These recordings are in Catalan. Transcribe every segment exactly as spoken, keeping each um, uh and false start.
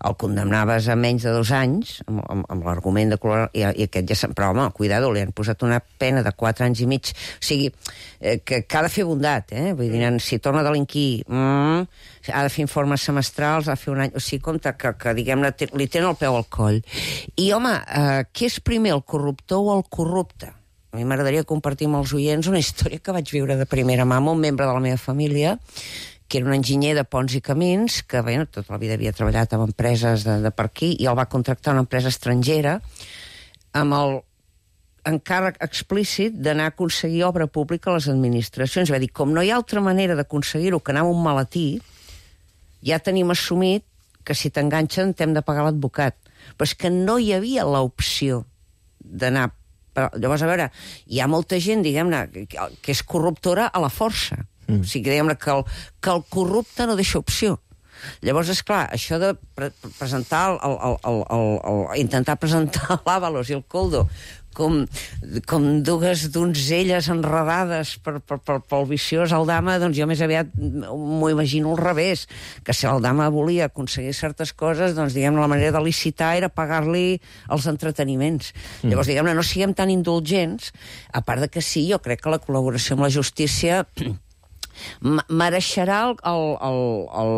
el condemnaves a menys de dos anys, amb, amb, amb l'argument de color, i, i aquest ja... Però, home, cuidado, li han posat una pena de quatre anys i mig. O sigui, eh, que, que ha de fer bondat, eh? Vull dir, si torna a delinquir, mm, ha de fer informes semestrals, ha de fer un any... O sigui, compte que, que diguem-ne, li tenen el peu al coll. I, home, eh, què és primer, el corruptor o el corrupte? A mi m'agradaria compartir amb els oients una història que vaig viure de primera mà amb un membre de la meva família, que era un enginyer de ponts i camins, que bé, tota la vida havia treballat amb empreses de, de per aquí, i el va contractar una empresa estrangera amb el encàrrec explícit d'anar a aconseguir obra pública a les administracions. Va dir, com no hi ha altra manera d'aconseguir-ho que anar a un maletí, ja tenim assumit que si t'enganxen t'hem de pagar l'advocat. Però és que no hi havia l'opció d'anar... Llavors, a veure, hi ha molta gent, diguem-ne, que és corruptora a la força. Mm. O sigui, diguem-ne que el, que el corrupte no deixa opció. Llavors, és clar, això de pre presentar el, el, el, el, el, intentar presentar l'Àvalos i el Koldo com, com dues donzelles enredades per, per, per, pel viciós Aldama, doncs jo més aviat m'ho imagino al revés, que si Aldama volia aconseguir certes coses, doncs diguem-ne la manera de licitar era pagar-li els entreteniments. Mm. Llavors, diguem-ne, no siguem tan indulgents, a part de que sí, jo crec que la col·laboració amb la justícia mereixerà el, el, el, el,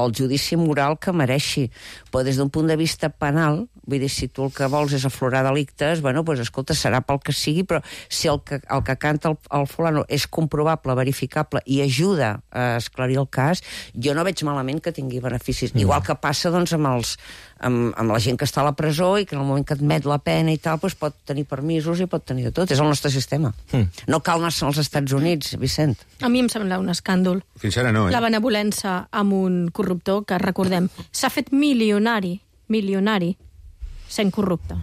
el judici moral que mereixi, però des d'un punt de vista penal, vull dir, si tu el que vols és aflorar delictes, bueno, doncs escolta, serà pel que sigui, però si el que, el que canta el, el fulano és comprovable, verificable i ajuda a esclarir el cas, jo no veig malament que tingui beneficis. Mm. Igual que passa, doncs, amb els amb, amb la gent que està a la presó i que en el moment que admet la pena i tal, doncs pot tenir permisos i pot tenir de tot. És el nostre sistema. Mm. No cal anar als Estats Units, Vicent. A mi em sembla un escàndol. Fins ara no, eh? La benevolència amb un corruptor que, recordem, s'ha fet milionari, milionari, sent corrupte.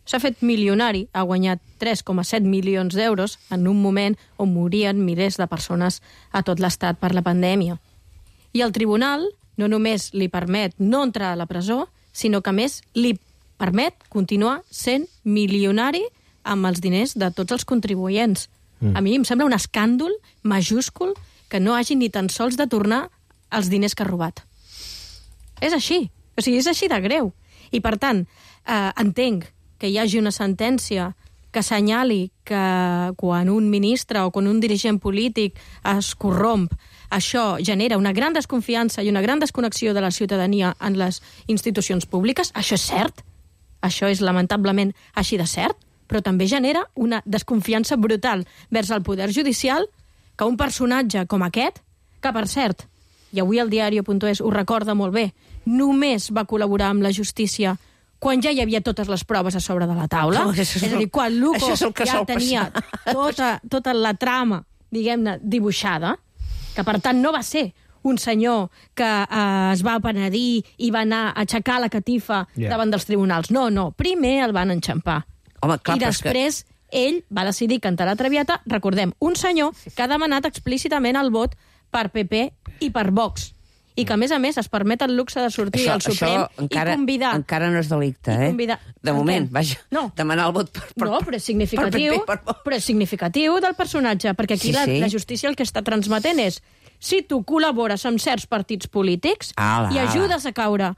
S'ha fet milionari, ha guanyat tres coma set milions d'euros en un moment on morien milers de persones a tot l'estat per la pandèmia. I el tribunal no només li permet no entrar a la presó, sinó que, a més, li permet continuar sent milionari amb els diners de tots els contribuents. Mm. A mi em sembla un escàndol majúscul que no hagi ni tan sols de tornar els diners que ha robat. És així. O sigui, és així de greu. I, per tant, eh, entenc que hi hagi una sentència que assenyali que quan un ministre o quan un dirigent polític es corromp, això genera una gran desconfiança i una gran desconnexió de la ciutadania en les institucions públiques. Això és cert. Això és lamentablement així de cert, però també genera una desconfiança brutal vers el poder judicial que un personatge com aquest, que per cert, i avui el diario punt es ho recorda molt bé, només va col·laborar amb la justícia quan ja hi havia totes les proves a sobre de la taula. Oh, és, és a dir, quan Luco ja tenia passar. tota, tota la trama, diguem-ne, dibuixada, que per tant no va ser un senyor que eh, es va penedir i va anar a aixecar la catifa yeah. davant dels tribunals. No, no, primer el van enxampar. Home, clar, I després que... ell va decidir cantar la Traviata, recordem, un senyor que ha demanat explícitament el vot per P P i per Vox. I que, a més a més, es permet el luxe de sortir això, al Suprem encara, i convidar... encara no és delicte, eh? Convidar... De moment, vaja, no. demanar el vot per... per no, però és significatiu, per per però és significatiu del personatge, perquè aquí sí, la, sí. la justícia el que està transmetent és si tu col·labores amb certs partits polítics ala, i ajudes a caure...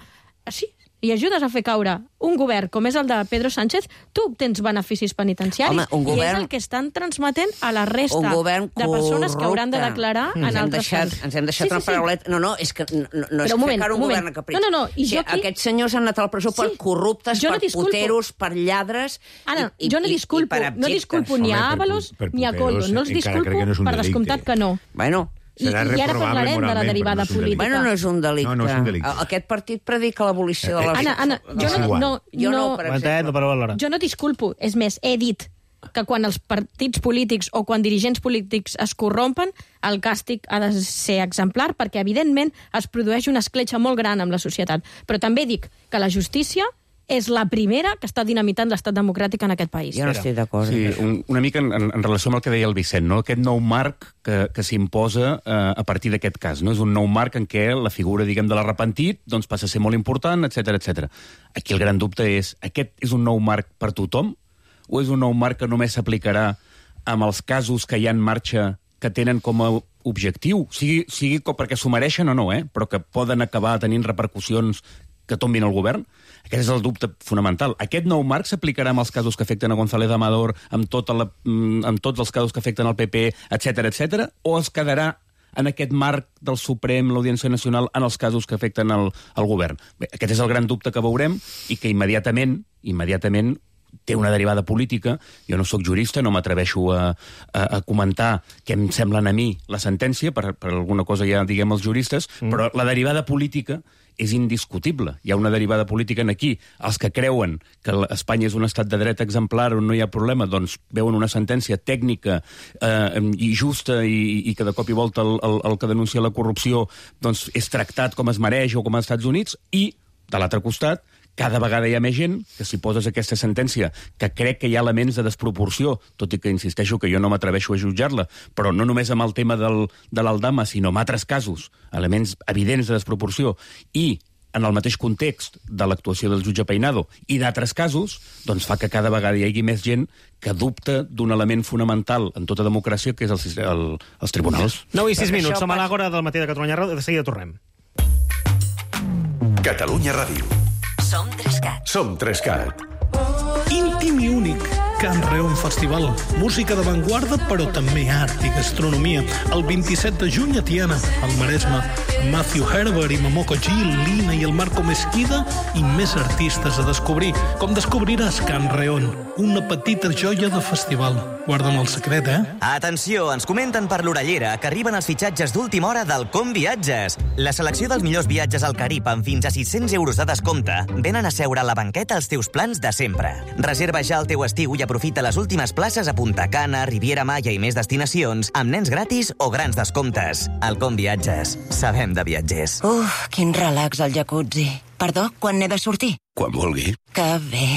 Sí, i ajudes a fer caure un govern com és el de Pedro Sánchez, tu obtens beneficis penitenciaris. Home, un govern... I és el que estan transmetent a la resta de persones que hauran de declarar mm. en altres deixat, camps. Ens hem deixat sí, una sí, parauleta... No, no, és que no, no és un moment, fer un, un moment. govern a capritx. No, no, no. I jo aquí... Aquests senyors han anat a la presó sí. per corruptes, no per disculpo. puteros, per lladres... Ara, i, jo no i, disculpo, i no disculpo ni a Ábalos ni a Koldo. No els disculpo, no per descomptat que no. Bueno... I, I ara parlarem de la derivada no política. Bueno, no és un delicte. No, no és un delicte. Aquest partit predica l'abolició de la... Anna, Anna, jo no... no, jo no, no per exemple. Jo no disculpo. És més, he dit que quan els partits polítics o quan dirigents polítics es corrompen, el càstig ha de ser exemplar, perquè, evidentment, es produeix una escletxa molt gran amb la societat. Però també dic que la justícia és la primera que està dinamitant l'estat democràtic en aquest país. Jo no estic d'acord. Sí, un, una mica en, en relació amb el que deia el Vicent, no? Aquest nou marc que, que s'imposa eh, a partir d'aquest cas. No? És un nou marc en què la figura, diguem, de l'arrepentit doncs, passa a ser molt important, etcètera, etcètera. Aquí el gran dubte és, aquest és un nou marc per tothom o és un nou marc que només s'aplicarà amb els casos que hi ha en marxa que tenen com a objectiu, sigui, sigui perquè s'ho mereixen o no, eh? però que poden acabar tenint repercussions que tombin el govern? Aquest és el dubte fonamental. Aquest nou marc s'aplicarà amb els casos que afecten a González Amador, amb, tota la, amb tots els casos que afecten al P P, etcètera, etcètera, o es quedarà en aquest marc del Suprem, l'Audiència Nacional, en els casos que afecten el, el govern? Bé, aquest és el gran dubte que veurem i que immediatament, immediatament té una derivada política. Jo no sóc jurista, no m'atreveixo a, a, a comentar què em semblen a mi la sentència, per, per alguna cosa ja diguem els juristes, mm. però la derivada política és indiscutible. Hi ha una derivada política en aquí. Els que creuen que Espanya és un estat de dret exemplar on no hi ha problema, doncs veuen una sentència tècnica eh, i justa i, i que de cop i volta el, el, el que denuncia la corrupció doncs, és tractat com es mereix o com als Estats Units, i, de l'altre costat, cada vegada hi ha més gent que si poses aquesta sentència, que crec que hi ha elements de desproporció, tot i que insisteixo que jo no m'atreveixo a jutjar-la, però no només amb el tema del, de l'Aldama, sinó en altres casos, elements evidents de desproporció, i en el mateix context de l'actuació del jutge Peinado i d'altres casos, doncs fa que cada vegada hi hagi més gent que dubta d'un element fonamental en tota democràcia, que és el, el, els tribunals. nou i sis minuts, som a l'Àgora del matí de Catalunya Ràdio, de seguida tornem. Catalunya Ràdio. Som Trescat. Som Trescat. Íntim i únic. Can Reon Festival. Música d'avantguarda, però també art i gastronomia. El vint-i-set de juny a Tiana, al Maresme. Matthew Herbert i Momoko Gil, Lina i el Marco Mesquida i més artistes a descobrir. Com descobriràs Can Reon, una petita joia de festival. Guarda'm el secret, eh? Atenció, ens comenten per l'orellera que arriben els fitxatges d'última hora del Com Viatges. La selecció dels millors viatges al Carib amb fins a sis-cents euros de descompte venen a seure a la banqueta als teus plans de sempre. Reserva ja el teu estiu i aprofita les últimes places a Punta Cana, Riviera Maya i més destinacions amb nens gratis o grans descomptes. El Com Viatges. Sabem de viatgers. Uf, quin relax al jacuzzi. Perdó, quan n'he de sortir? Quan vulgui. Que bé.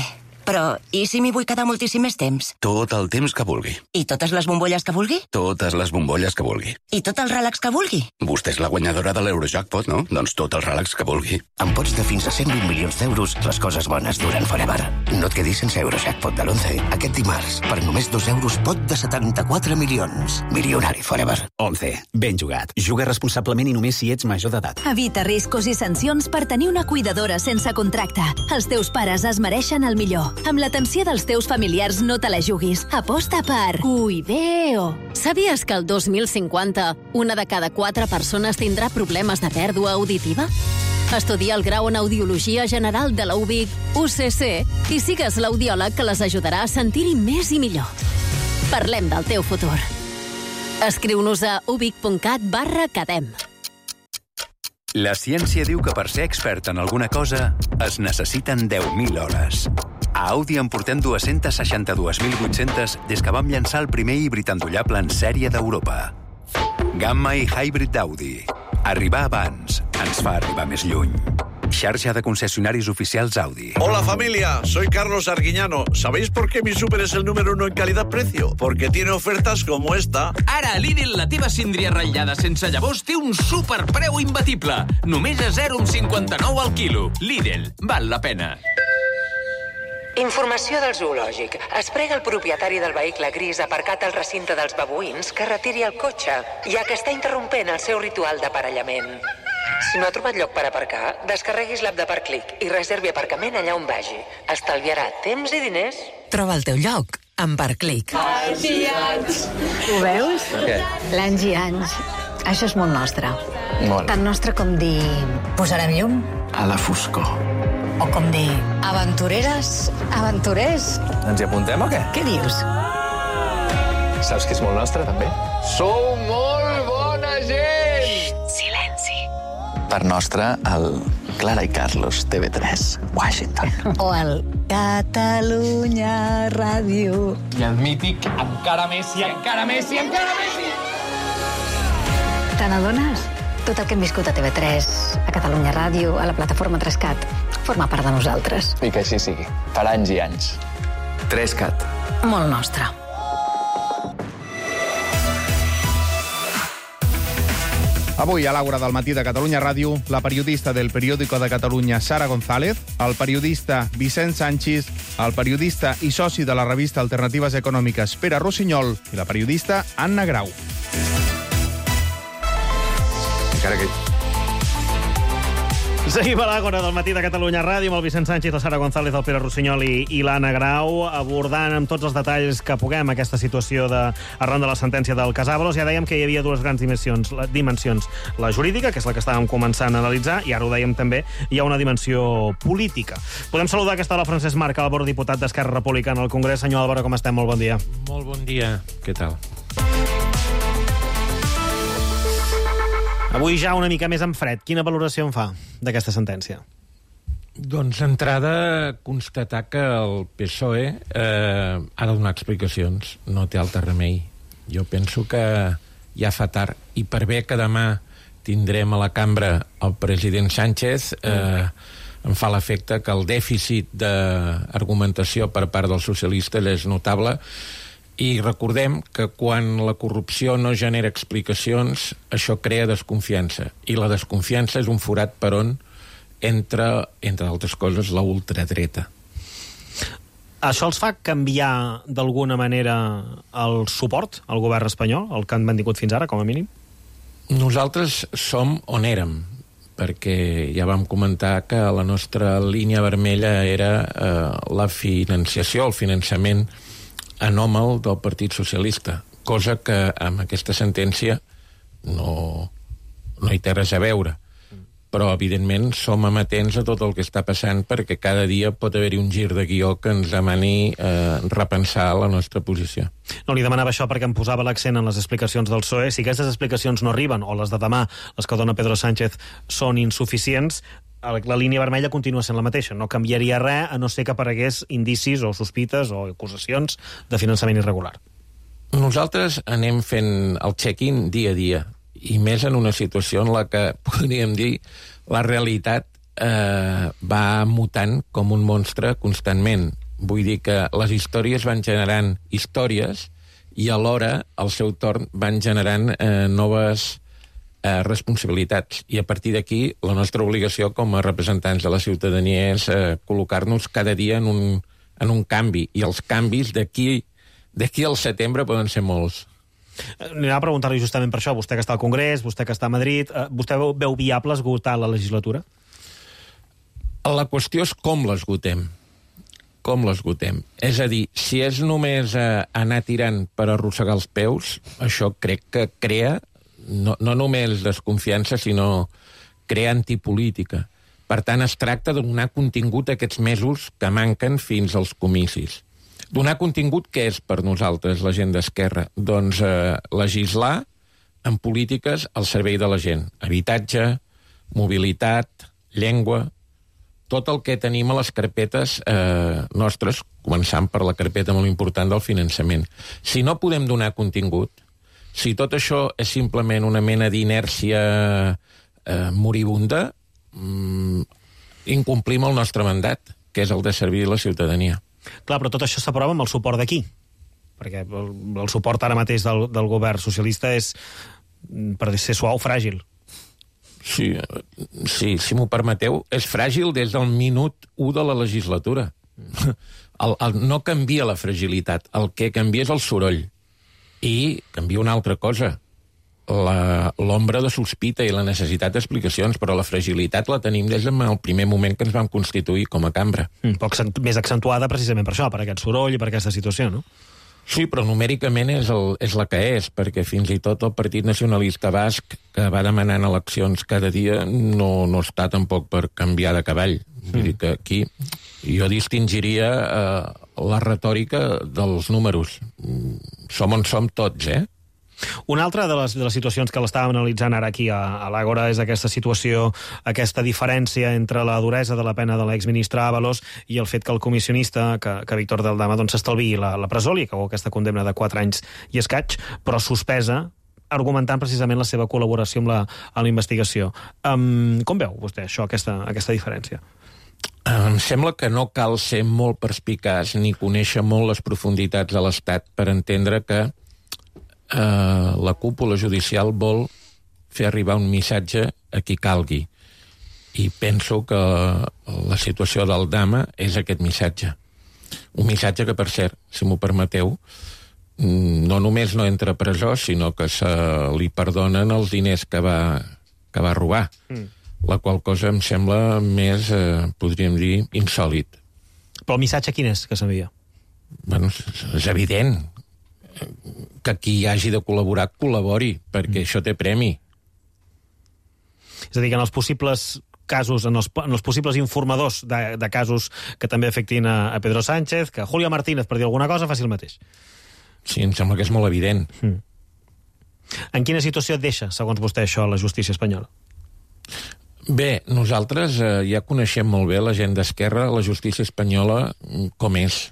Però, i si m'hi vull quedar moltíssim més temps? Tot el temps que vulgui. I totes les bombolles que vulgui? Totes les bombolles que vulgui. I tot el relax que vulgui? Vostè és la guanyadora de l'Eurojackpot, no? Doncs tot el relax que vulgui. Amb pots de fins a cent vint milions d'euros, les coses bones duren forever. No et quedis sense Eurojackpot de l'onze. Aquest dimarts, per només dos euros, pot de setanta-quatre milions. Milionari forever. onze. Ben jugat. Juga responsablement i només si ets major d'edat. Evita riscos i sancions per tenir una cuidadora sense contracte. Els teus pares es mereixen el millor. Amb l'atenció dels teus familiars no te la juguis. Aposta per Cuideo. Sabies que el dos mil cinquanta una de cada quatre persones tindrà problemes de pèrdua auditiva? Estudia el grau en Audiologia General de la U B I C, U C C, i sigues l'audiòleg que les ajudarà a sentir-hi més i millor. Parlem del teu futur. Escriu-nos a ubic.cat barra cadem. La ciència diu que per ser expert en alguna cosa es necessiten deu mil hores. A Audi en portem dos-cents seixanta-dos mil vuit-cents des que vam llançar el primer híbrid endollable en sèrie d'Europa. Gamma i Hybrid d'Audi. Arribar abans ens fa arribar més lluny. Xarxa de concesionarios oficiales Audi. Hola familia, soy Carlos Arguiñano. ¿Sabéis por qué mi súper es el número uno en calidad-precio? Porque tiene ofertas como esta. Ara a Lidl la teva síndria ratllada sense llavors té un superpreu imbatible. Només a zero coma cinquanta-nou al quilo. Lidl, val la pena. Informació del zoològic. Es prega el propietari del vehicle gris aparcat al recinte dels babuïns que retiri el cotxe, ja que està interrompent el seu ritual d'aparellament. Si no ha trobat lloc per aparcar, descarreguis l'app de Parclic i reservi aparcament allà on vagi. Estalviarà temps i diners. Troba el teu lloc amb Parclic. Anys i anys. Ho veus? Què? L'anys i anys. Això és molt nostre. Molt. Tan nostre com dir... Posarem llum? A la foscor. O com dir... Aventureres? Aventurers? Ens hi apuntem o què? Què dius? Saps que és molt nostre, també? Sou molt bona gent! Xxt, silenci. Per nostre, el Clara i Carlos, T V tres, Washington. O el Catalunya Ràdio. I el mític encara més i encara més i encara més i... Te n'adones? Tot el que hem viscut a T V tres, a Catalunya Ràdio, a la plataforma Trescat, forma part de nosaltres. I que així sigui. Per anys i anys. Trescat. Molt nostre. Avui, a l'Àgora del matí de Catalunya Ràdio, la periodista del Periódico de Catalunya, Sara González, el periodista Vicent Sanchis, el periodista i soci de la revista Alternatives Econòmiques, Pere Rossinyol, i la periodista Anna Grau. Encara que... Seguim a l'Àgora del matí de Catalunya Ràdio amb el Vicent Sánchez, la Sara González, el Pere Rossinyol i, i l'Anna Grau, abordant amb tots els detalls que puguem aquesta situació de, arran de la sentència del cas Ábalos. Ja dèiem que hi havia dues grans dimensions, la, dimensions. La jurídica, que és la que estàvem començant a analitzar, i ara ho dèiem també, hi ha una dimensió política. Podem saludar que està la Francesc Marc Álvaro, diputat d'Esquerra Republicana al Congrés. Senyor Álvaro, com estem? Molt bon dia. Molt bon dia. Què tal? Avui ja una mica més en fred. Quina valoració en fa d'aquesta sentència? Doncs, d'entrada, constatar que el P S O E eh, ha de donar explicacions. No té altre remei. Jo penso que ja fa tard. I per bé que demà tindrem a la cambra el president Sánchez, eh, em fa l'efecte que el dèficit d'argumentació per part dels socialistes és notable. I recordem que quan la corrupció no genera explicacions, això crea desconfiança. I la desconfiança és un forat per on entra, entre altres coses, la ultradreta. Això els fa canviar d'alguna manera el suport al govern espanyol, el que han mantingut fins ara, com a mínim? Nosaltres som on érem, perquè ja vam comentar que la nostra línia vermella era eh, la financiació, el finançament anòmal del Partit Socialista, cosa que amb aquesta sentència no, no hi té res a veure. Però, evidentment, som amatents a tot el que està passant perquè cada dia pot haver-hi un gir de guió que ens demani eh, repensar la nostra posició. No li demanava això perquè em posava l'accent en les explicacions del P S O E. Si aquestes explicacions no arriben, o les de demà, les que dona Pedro Sánchez, són insuficients, la línia vermella continua sent la mateixa. No canviaria res, a no ser que aparegués indicis o sospites o acusacions de finançament irregular. Nosaltres anem fent el check-in dia a dia, i més en una situació en la que, podríem dir, la realitat eh, va mutant com un monstre constantment. Vull dir que les històries van generant històries i alhora, al seu torn, van generant eh, noves eh, responsabilitats. I a partir d'aquí, la nostra obligació com a representants de la ciutadania és eh, col·locar-nos cada dia en un, en un canvi. I els canvis d'aquí d'aquí al setembre poden ser molts. Anirà a preguntar-li justament per això. Vostè que està al Congrés, vostè que està a Madrid, eh, vostè veu, veu viable esgotar la legislatura? La qüestió és com l'esgotem. Com l'esgotem. És a dir, si és només eh, anar tirant per arrossegar els peus, això crec que crea no, no només desconfiança, sinó crea antipolítica. Per tant, es tracta de donar contingut a aquests mesos que manquen fins als comicis. Donar contingut, què és per nosaltres la gent d'Esquerra? Doncs eh, legislar en polítiques al servei de la gent. Habitatge, mobilitat, llengua, tot el que tenim a les carpetes eh, nostres, començant per la carpeta molt important del finançament. Si no podem donar contingut, si tot això és simplement una mena d'inèrcia eh, moribunda, mm, incomplim el nostre mandat, que és el de servir la ciutadania. Clar, però tot això s'aprova amb el suport d'aquí, perquè el, el suport ara mateix del, del govern socialista és, per ser suau, fràgil. Sí, sí, si m'ho permeteu, és fràgil des del minut u de la legislatura. El, el, no canvia la fragilitat, el que canvia és el soroll. I canvia una altra cosa, l'ombra de sospita i la necessitat d'explicacions, però la fragilitat la tenim des del primer moment que ens vam constituir com a cambra. Un poc més accentuada precisament per això, per aquest soroll i per aquesta situació, no? Sí, però numèricament és, el, és la que és, perquè fins i tot el Partit Nacionalista Basc, que va demanant eleccions cada dia, no, no està tampoc per canviar de cavall. Vull mm. dir que aquí jo distingiria eh, la retòrica dels números. Som on som tots, eh? Una altra de les, de les situacions que l'estàvem analitzant ara aquí a, a l'Àgora és aquesta situació, aquesta diferència entre la duresa de la pena de l'exministre Ábalos i el fet que el comissionista, que, que Víctor Del Dama, doncs s'estalviï la, la presó, li acabó aquesta condemna de quatre anys i escaig, però suspesa, argumentant precisament la seva col·laboració amb la, amb la investigació. Um, com veu vostè això, aquesta, aquesta diferència? Em sembla que no cal ser molt perspicaç ni conèixer molt les profunditats de l'Estat per entendre que Uh, la cúpula judicial vol fer arribar un missatge a qui calgui. I penso que la situació del Dama és aquest missatge. Un missatge que, per cert, si m'ho permeteu, no només no entra a presó, sinó que se li perdonen els diners que va, que va robar. Mm. la qual cosa em sembla més, eh, podríem dir, insòlit. Però el missatge quin és que s'envia? Bueno, és evident que qui hagi de col·laborar, col·labori, perquè mm. això té premi. És a dir, que en els possibles casos, en els, en els possibles informadors de, de casos que també afectin a, a Pedro Sánchez, que Julio Martínez, per dir alguna cosa, faci el mateix. Sí, em sembla que és molt evident. Mm. En quina situació et deixa, segons vostè, això, la justícia espanyola? Bé, nosaltres eh, ja coneixem molt bé la gent d'Esquerra, la justícia espanyola, com és.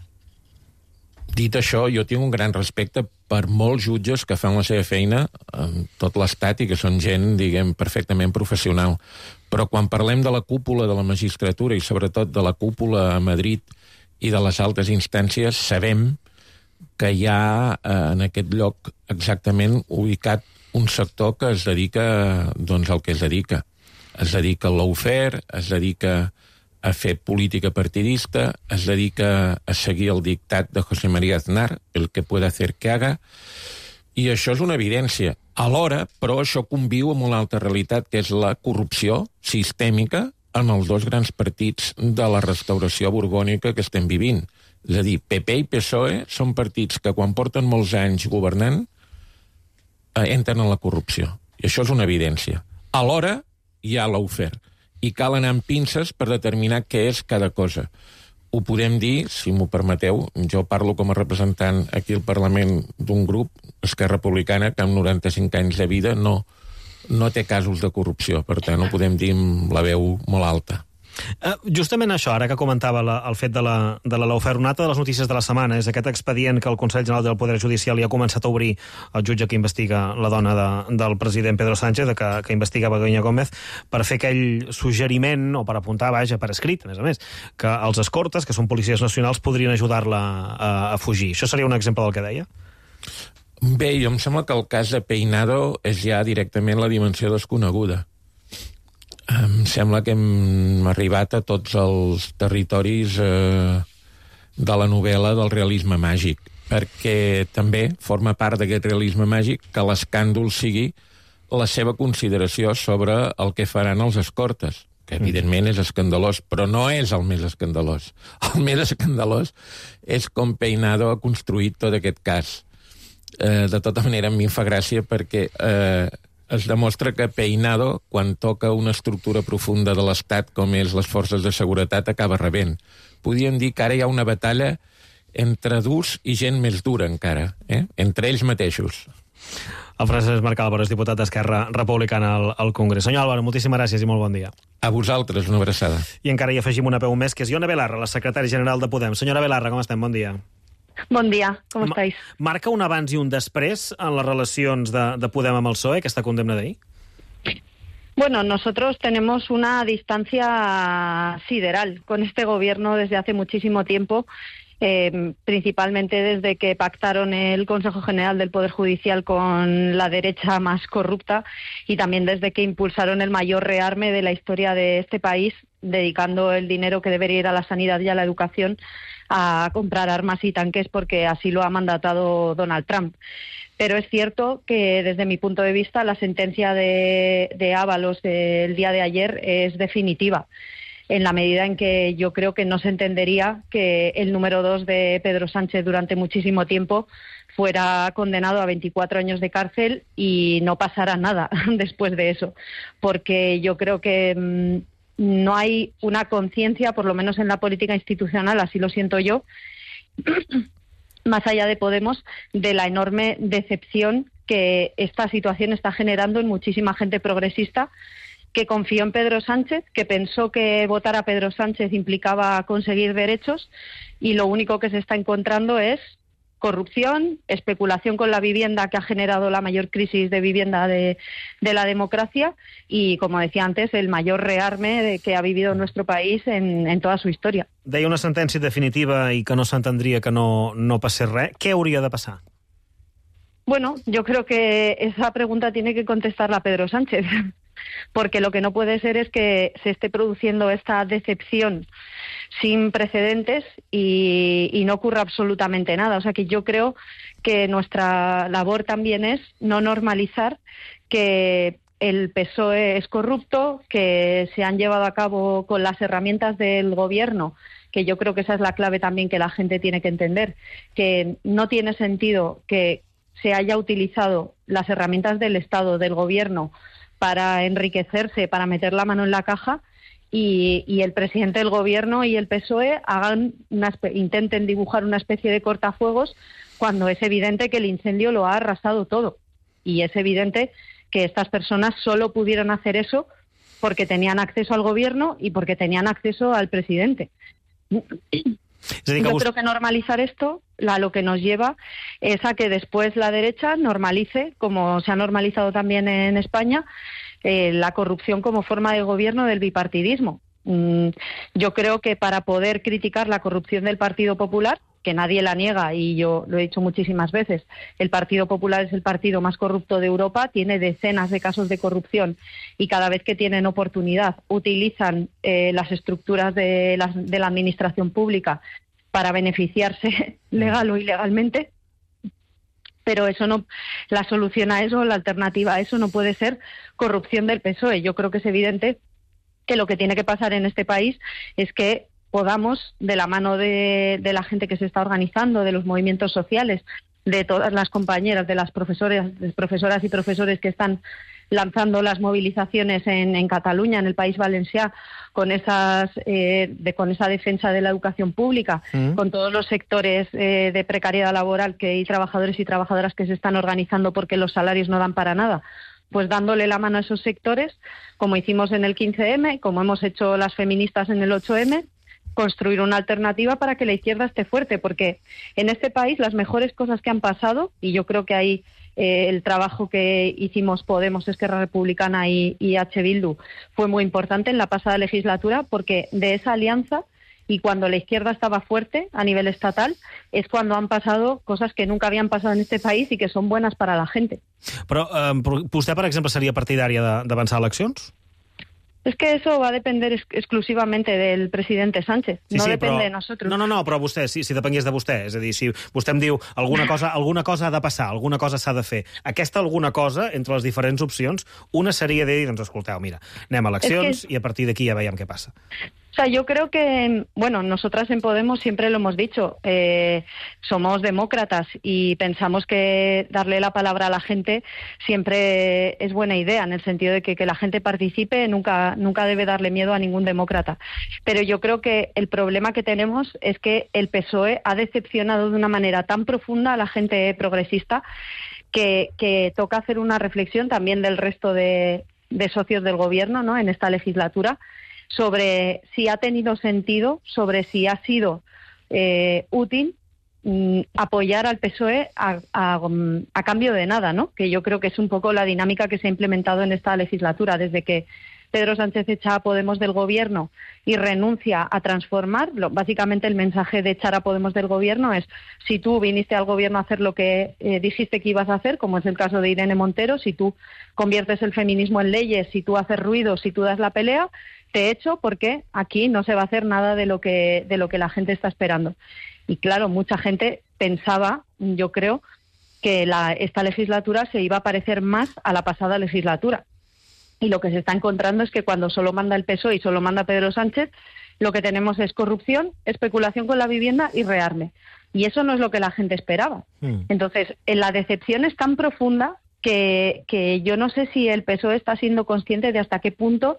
Dit això, jo tinc un gran respecte per molts jutges que fan la seva feina en tot l'estat i que són gent, diguem, perfectament professional. Però quan parlem de la cúpula de la magistratura i sobretot de la cúpula a Madrid i de les altes instàncies, sabem que hi ha eh, en aquest lloc exactament ubicat un sector que es dedica doncs, al que es dedica. Es dedica al lawfare, es dedica a fer política partidista, es dedica a seguir el dictat de José María Aznar, el que pueda hacer que haga, i això és una evidència. Alhora, però, això conviu amb una altra realitat, que és la corrupció sistèmica en els dos grans partits de la restauració borbònica que estem vivint. És a dir, P P i P S O E són partits que, quan porten molts anys governant, eh, entren en la corrupció. I això és una evidència. Alhora, hi ha lawfare. I cal anar amb pinces per determinar què és cada cosa. Ho podem dir, si m'ho permeteu, jo parlo com a representant aquí al Parlament d'un grup, Esquerra Republicana, que amb noranta-cinc anys de vida no, no té casos de corrupció, per tant ho podem dir amb la veu molt alta. Uh, justament això, ara que comentava la, el fet de la, de la lawfare, una altra de les notícies de la setmana és aquest expedient que el Consell General del Poder Judicial ja ha començat a obrir el jutge que investiga la dona de, del president Pedro Sánchez, que, que investiga Begoña Gómez, per fer aquell suggeriment, o per apuntar, vaja, per escrit, a més a més, que els escortes, que són policies nacionals, podrien ajudar-la a, a fugir. Això seria un exemple del que deia? Bé, jo em sembla que el cas de Peinado és ja directament la dimensió desconeguda. Em sembla que hem arribat a tots els territoris eh, de la novel·la del realisme màgic, perquè també forma part d'aquest realisme màgic que l'escàndol sigui la seva consideració sobre el que faran els escortes, que evidentment és escandalós, però no és el més escandalós. El més escandalós és com Peinado ha construït tot aquest cas. Eh, de tota manera, a mi em fa gràcia perquè eh, es demostra que Peinado, quan toca una estructura profunda de l'Estat, com és les forces de seguretat, acaba rebent. Podríem dir que ara hi ha una batalla entre durs i gent més dura encara, eh? Entre ells mateixos. El Francesc Marc Álvaro és diputat d'Esquerra Republicana al, al Congrés. Senyor Álvaro, moltíssimes gràcies i molt bon dia. A vosaltres, una abraçada. I encara hi afegim una peu més, que és Ione Belarra, la secretària general de Podem. Senyora Belarra, com estem? Bon dia. Bon dia, com estáis? Marca un abans i un després en les relacions de, de Podem amb el P S O E, aquesta condemna d'ahir? Bueno, nosotros tenemos una distancia sideral con este gobierno desde hace muchísimo tiempo, eh, principalmente desde que pactaron el Consejo General del Poder Judicial con la derecha más corrupta y también desde que impulsaron el mayor rearme de la historia de este país, dedicando el dinero que debería ir a la sanidad y a la educación a comprar armas y tanques porque así lo ha mandatado Donald Trump. Pero es cierto que desde mi punto de vista la sentencia de, de Ábalos del día de ayer es definitiva, en la medida en que yo creo que no se entendería que el número dos de Pedro Sánchez durante muchísimo tiempo fuera condenado a veinticuatro años de cárcel y no pasara nada después de eso, porque yo creo que mmm, no hay una conciencia, por lo menos en la política institucional, así lo siento yo, más allá de Podemos, de la enorme decepción que esta situación está generando en muchísima gente progresista que confió en Pedro Sánchez, que pensó que votar a Pedro Sánchez implicaba conseguir derechos y lo único que se está encontrando es corrupción, especulación con la vivienda que ha generado la mayor crisis de vivienda de, de la democracia y, como decía antes, el mayor rearme de que ha vivido nuestro país en, en toda su historia. Deia una sentència definitiva i que no s'entendria que no, no passés res. Què hauria de passar? Bueno, yo creo que esa pregunta tiene que contestarla Pedro Sánchez, porque lo que no puede ser es que se esté produciendo esta decepción sin precedentes y, y no ocurra absolutamente nada. O sea que yo creo que nuestra labor también es no normalizar que el P S O E es corrupto, que se han llevado a cabo con las herramientas del gobierno, que yo creo que esa es la clave también que la gente tiene que entender, que no tiene sentido que se haya utilizado las herramientas del Estado, del gobierno, para enriquecerse, para meter la mano en la caja, y, y el presidente del gobierno y el P S O E hagan una, intenten dibujar una especie de cortafuegos cuando es evidente que el incendio lo ha arrasado todo. Y es evidente que estas personas solo pudieron hacer eso porque tenían acceso al gobierno y porque tenían acceso al presidente. Yo creo que normalizar esto a lo que nos lleva es a que después la derecha normalice, como se ha normalizado también en España, eh, la corrupción como forma de gobierno del bipartidismo. Mm, yo creo que para poder criticar la corrupción del Partido Popular, que nadie la niega y yo lo he dicho muchísimas veces, el Partido Popular es el partido más corrupto de Europa, tiene decenas de casos de corrupción y cada vez que tienen oportunidad utilizan eh, las estructuras de la, de la administración pública para beneficiarse legal o ilegalmente, pero eso no, la solución a eso, la alternativa a eso no puede ser corrupción del P S O E. Yo creo que es evidente que lo que tiene que pasar en este país es que podamos, de la mano de, de la gente que se está organizando, de los movimientos sociales, de todas las compañeras, de las profesoras, de profesoras y profesores que están lanzando las movilizaciones en, en Cataluña, en el País Valencià, con esas eh, de, con esa defensa de la educación pública, mm. con todos los sectores eh, de precariedad laboral que hay trabajadores y trabajadoras que se están organizando porque los salarios no dan para nada, pues dándole la mano a esos sectores, como hicimos en el quince eme, como hemos hecho las feministas en el ocho eme, construir una alternativa para que la izquierda esté fuerte, porque en este país las mejores cosas que han pasado, y yo creo que ahí eh, el trabajo que hicimos Podemos, Esquerra Republicana y, y H. Bildu fue muy importante en la pasada legislatura, porque de esa alianza y cuando la izquierda estaba fuerte a nivel estatal es cuando han pasado cosas que nunca habían pasado en este país y que son buenas para la gente. Però eh, vostè, per exemple, seria partidària d'avançar eleccions? Es que eso va a depender ex exclusivamente del presidente Sánchez, sí, no sí, depende però... de nosotros. No, no, no, però vostè, si, si depengués de vostè, és a dir, si vostè em diu alguna cosa, alguna cosa ha de passar, alguna cosa s'ha de fer, aquesta alguna cosa, entre les diferents opcions, una seria de dir, doncs escolteu, mira, anem a eleccions es que... i a partir d'aquí ja veiem què passa. O sea, yo creo que, bueno, nosotras en Podemos siempre lo hemos dicho, eh, somos demócratas y pensamos que darle la palabra a la gente siempre es buena idea, en el sentido de que, que la gente participe nunca, nunca debe darle miedo a ningún demócrata. Pero yo creo que el problema que tenemos es que el P S O E ha decepcionado de una manera tan profunda a la gente progresista que, que toca hacer una reflexión también del resto de, de socios del gobierno, ¿no?, en esta legislatura, sobre si ha tenido sentido, sobre si ha sido eh, útil mm, apoyar al P S O E a, a, a cambio de nada, ¿no? Que yo creo que es un poco la dinámica que se ha implementado en esta legislatura, desde que Pedro Sánchez echa a Podemos del gobierno y renuncia a transformar. Lo, básicamente el mensaje de echar a Podemos del gobierno es: si tú viniste al gobierno a hacer lo que eh, dijiste que ibas a hacer, como es el caso de Irene Montero, si tú conviertes el feminismo en leyes, si tú haces ruido, si tú das la pelea, te echo, porque aquí no se va a hacer nada de lo que de lo que la gente está esperando. Y claro, mucha gente pensaba, yo creo, que la, esta legislatura se iba a parecer más a la pasada legislatura. Y lo que se está encontrando es que cuando solo manda el P S O E y solo manda Pedro Sánchez, lo que tenemos es corrupción, especulación con la vivienda y rearme. Y eso no es lo que la gente esperaba. Mm. Entonces, la decepción es tan profunda que, que yo no sé si el P S O E está siendo consciente de hasta qué punto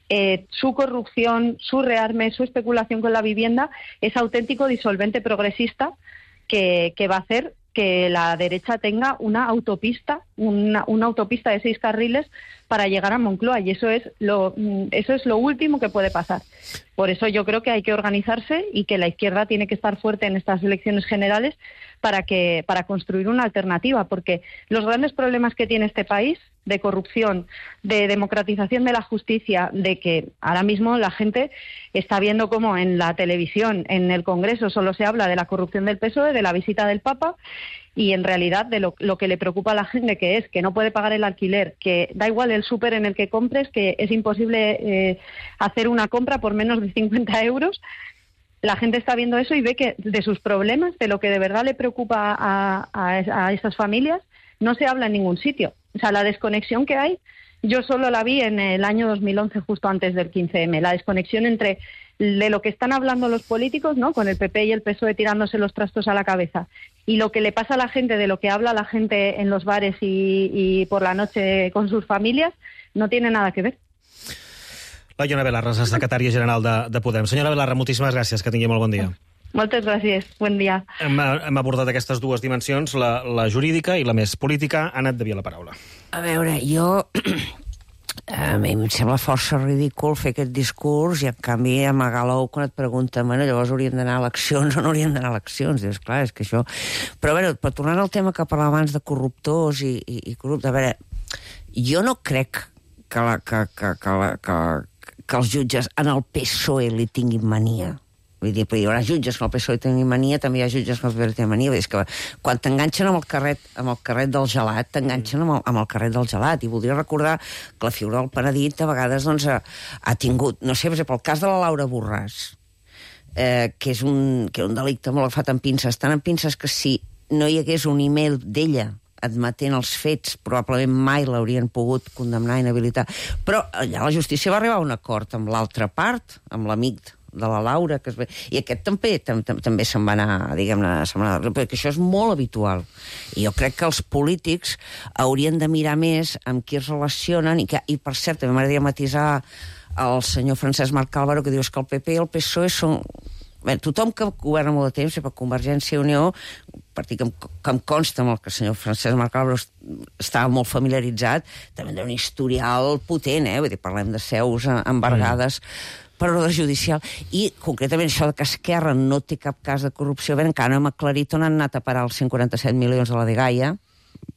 Eh, su corrupción, su rearme, su especulación con la vivienda es auténtico disolvente progresista que, que va a hacer que la derecha tenga una autopista, una, una autopista de seis carriles para llegar a Moncloa, y eso es lo eso es lo último que puede pasar. Por eso yo creo que hay que organizarse y que la izquierda tiene que estar fuerte en estas elecciones generales para que para construir una alternativa, porque los grandes problemas que tiene este país, de corrupción, de democratización de la justicia, de que ahora mismo la gente está viendo cómo en la televisión, en el Congreso, solo se habla de la corrupción del P S O E, de la visita del Papa, y en realidad de lo, lo que le preocupa a la gente, que es que no puede pagar el alquiler, que da igual el súper en el que compres, que es imposible eh, hacer una compra por menos de cincuenta euros. La gente está viendo eso y ve que de sus problemas, de lo que de verdad le preocupa a, a, a esas familias, no se habla en ningún sitio. O sea, la desconexión que hay yo solo la vi en el año dos mil once, justo antes del quince eme, la desconexión entre de lo que están hablando los políticos, ¿no?, con el P P y el P S O E tirándose los trastos a la cabeza, y lo que le pasa a la gente, de lo que habla la gente en los bares y, y por la noche con sus familias, no tiene nada que ver. La Iona Belarra, secretària general de, de Podem. Senyora Belarra, moltíssimes gràcies, que tingui molt bon dia. Moltes gràcies, bon dia. Hem, hem abordat aquestes dues dimensions, la, la jurídica i la més política. Anat de Via, la paraula. A veure, jo... A mi em sembla força ridícul fer aquest discurs i, en canvi, amagar l'ou quan et pregunten, bueno, llavors hauríem d'anar a eleccions o no hauríem d'anar a eleccions. Dius, clar, és que això... Però, a veure, per tornar al tema que parlava abans de corruptors i, i, i corruptes, a veure, jo no crec que, la, que, que, que, la, que, que els jutges en el P S O E li tinguin mania. Vull dir, hi haurà jutges que el P S O E tingui mania, també hi ha jutges que el P S O E tingui mania. És que quan t'enganxen amb el carret, amb el carret del gelat, t'enganxen amb, el, amb el carret del gelat. I voldria recordar que la figura del penedit a vegades doncs, ha, ha tingut, no sé, per exemple, el cas de la Laura Borràs, eh, que és un, que un delicte molt agafat amb pinces, tant amb pinces que si no hi hagués un email d'ella admetent els fets, probablement mai l'haurien pogut condemnar i inhabilitar. Però allà la justícia va arribar a un acord amb l'altra part, amb l'amic de la Laura, que es ve... i aquest també tam, tam, també se'n va anar, diguem-ne, perquè això és molt habitual. I jo crec que els polítics haurien de mirar més amb qui es relacionen, i, que, i per cert, també m'agradaria matisar el senyor Francesc Marc Álvaro, que dius que el P P i el P S O E són... Bé, tothom que governa molt de temps, per Convergència i Unió, partit que em, que em consta amb el que el senyor Francesc Marc Álvaro estava molt familiaritzat, també té un historial potent, eh? Vull dir, parlem de seus embargades per ordre judicial, i concretament això de que Esquerra no té cap cas de corrupció, bé, encara no hem aclarit on han anat a parar els cent quaranta-set milions de la Dgaia,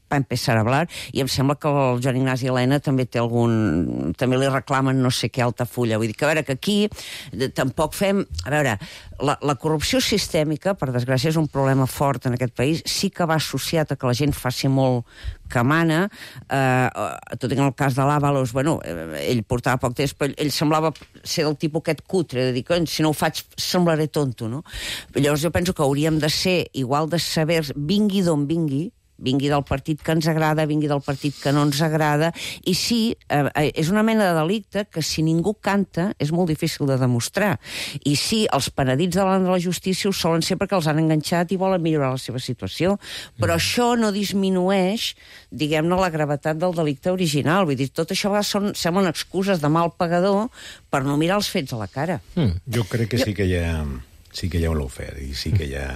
va empezar a hablar, i em sembla que el Joan Ignasi Elena també té algun... també li reclamen no sé què Altafulla. Vull dir que, a veure, que aquí de, tampoc fem... A veure, la, la corrupció sistèmica, per desgràcia, és un problema fort en aquest país, sí que va associat a que la gent faci molt que mana, eh, tot i que en el cas de l'Àvalos, bueno, ell portava poc temps, però ell semblava ser del tipus aquest cutre, de dir, si no ho faig semblaré tonto, no? Llavors jo penso que hauríem de ser igual de severs, vingui d'on vingui, vingui del partit que ens agrada, vingui del partit que no ens agrada, i sí, eh, és una mena de delicte que si ningú canta és molt difícil de demostrar. I sí, els penedits davant de la justícia ho solen ser perquè els han enganxat i volen millorar la seva situació, però mm. això no disminueix, diguem-ne, la gravetat del delicte original. Vull dir, tot això són, semblen excuses de mal pagador per no mirar els fets a la cara. Mm. Jo crec que jo... sí que hi ha... sí que hi ha un lawfare, i sí que hi ha...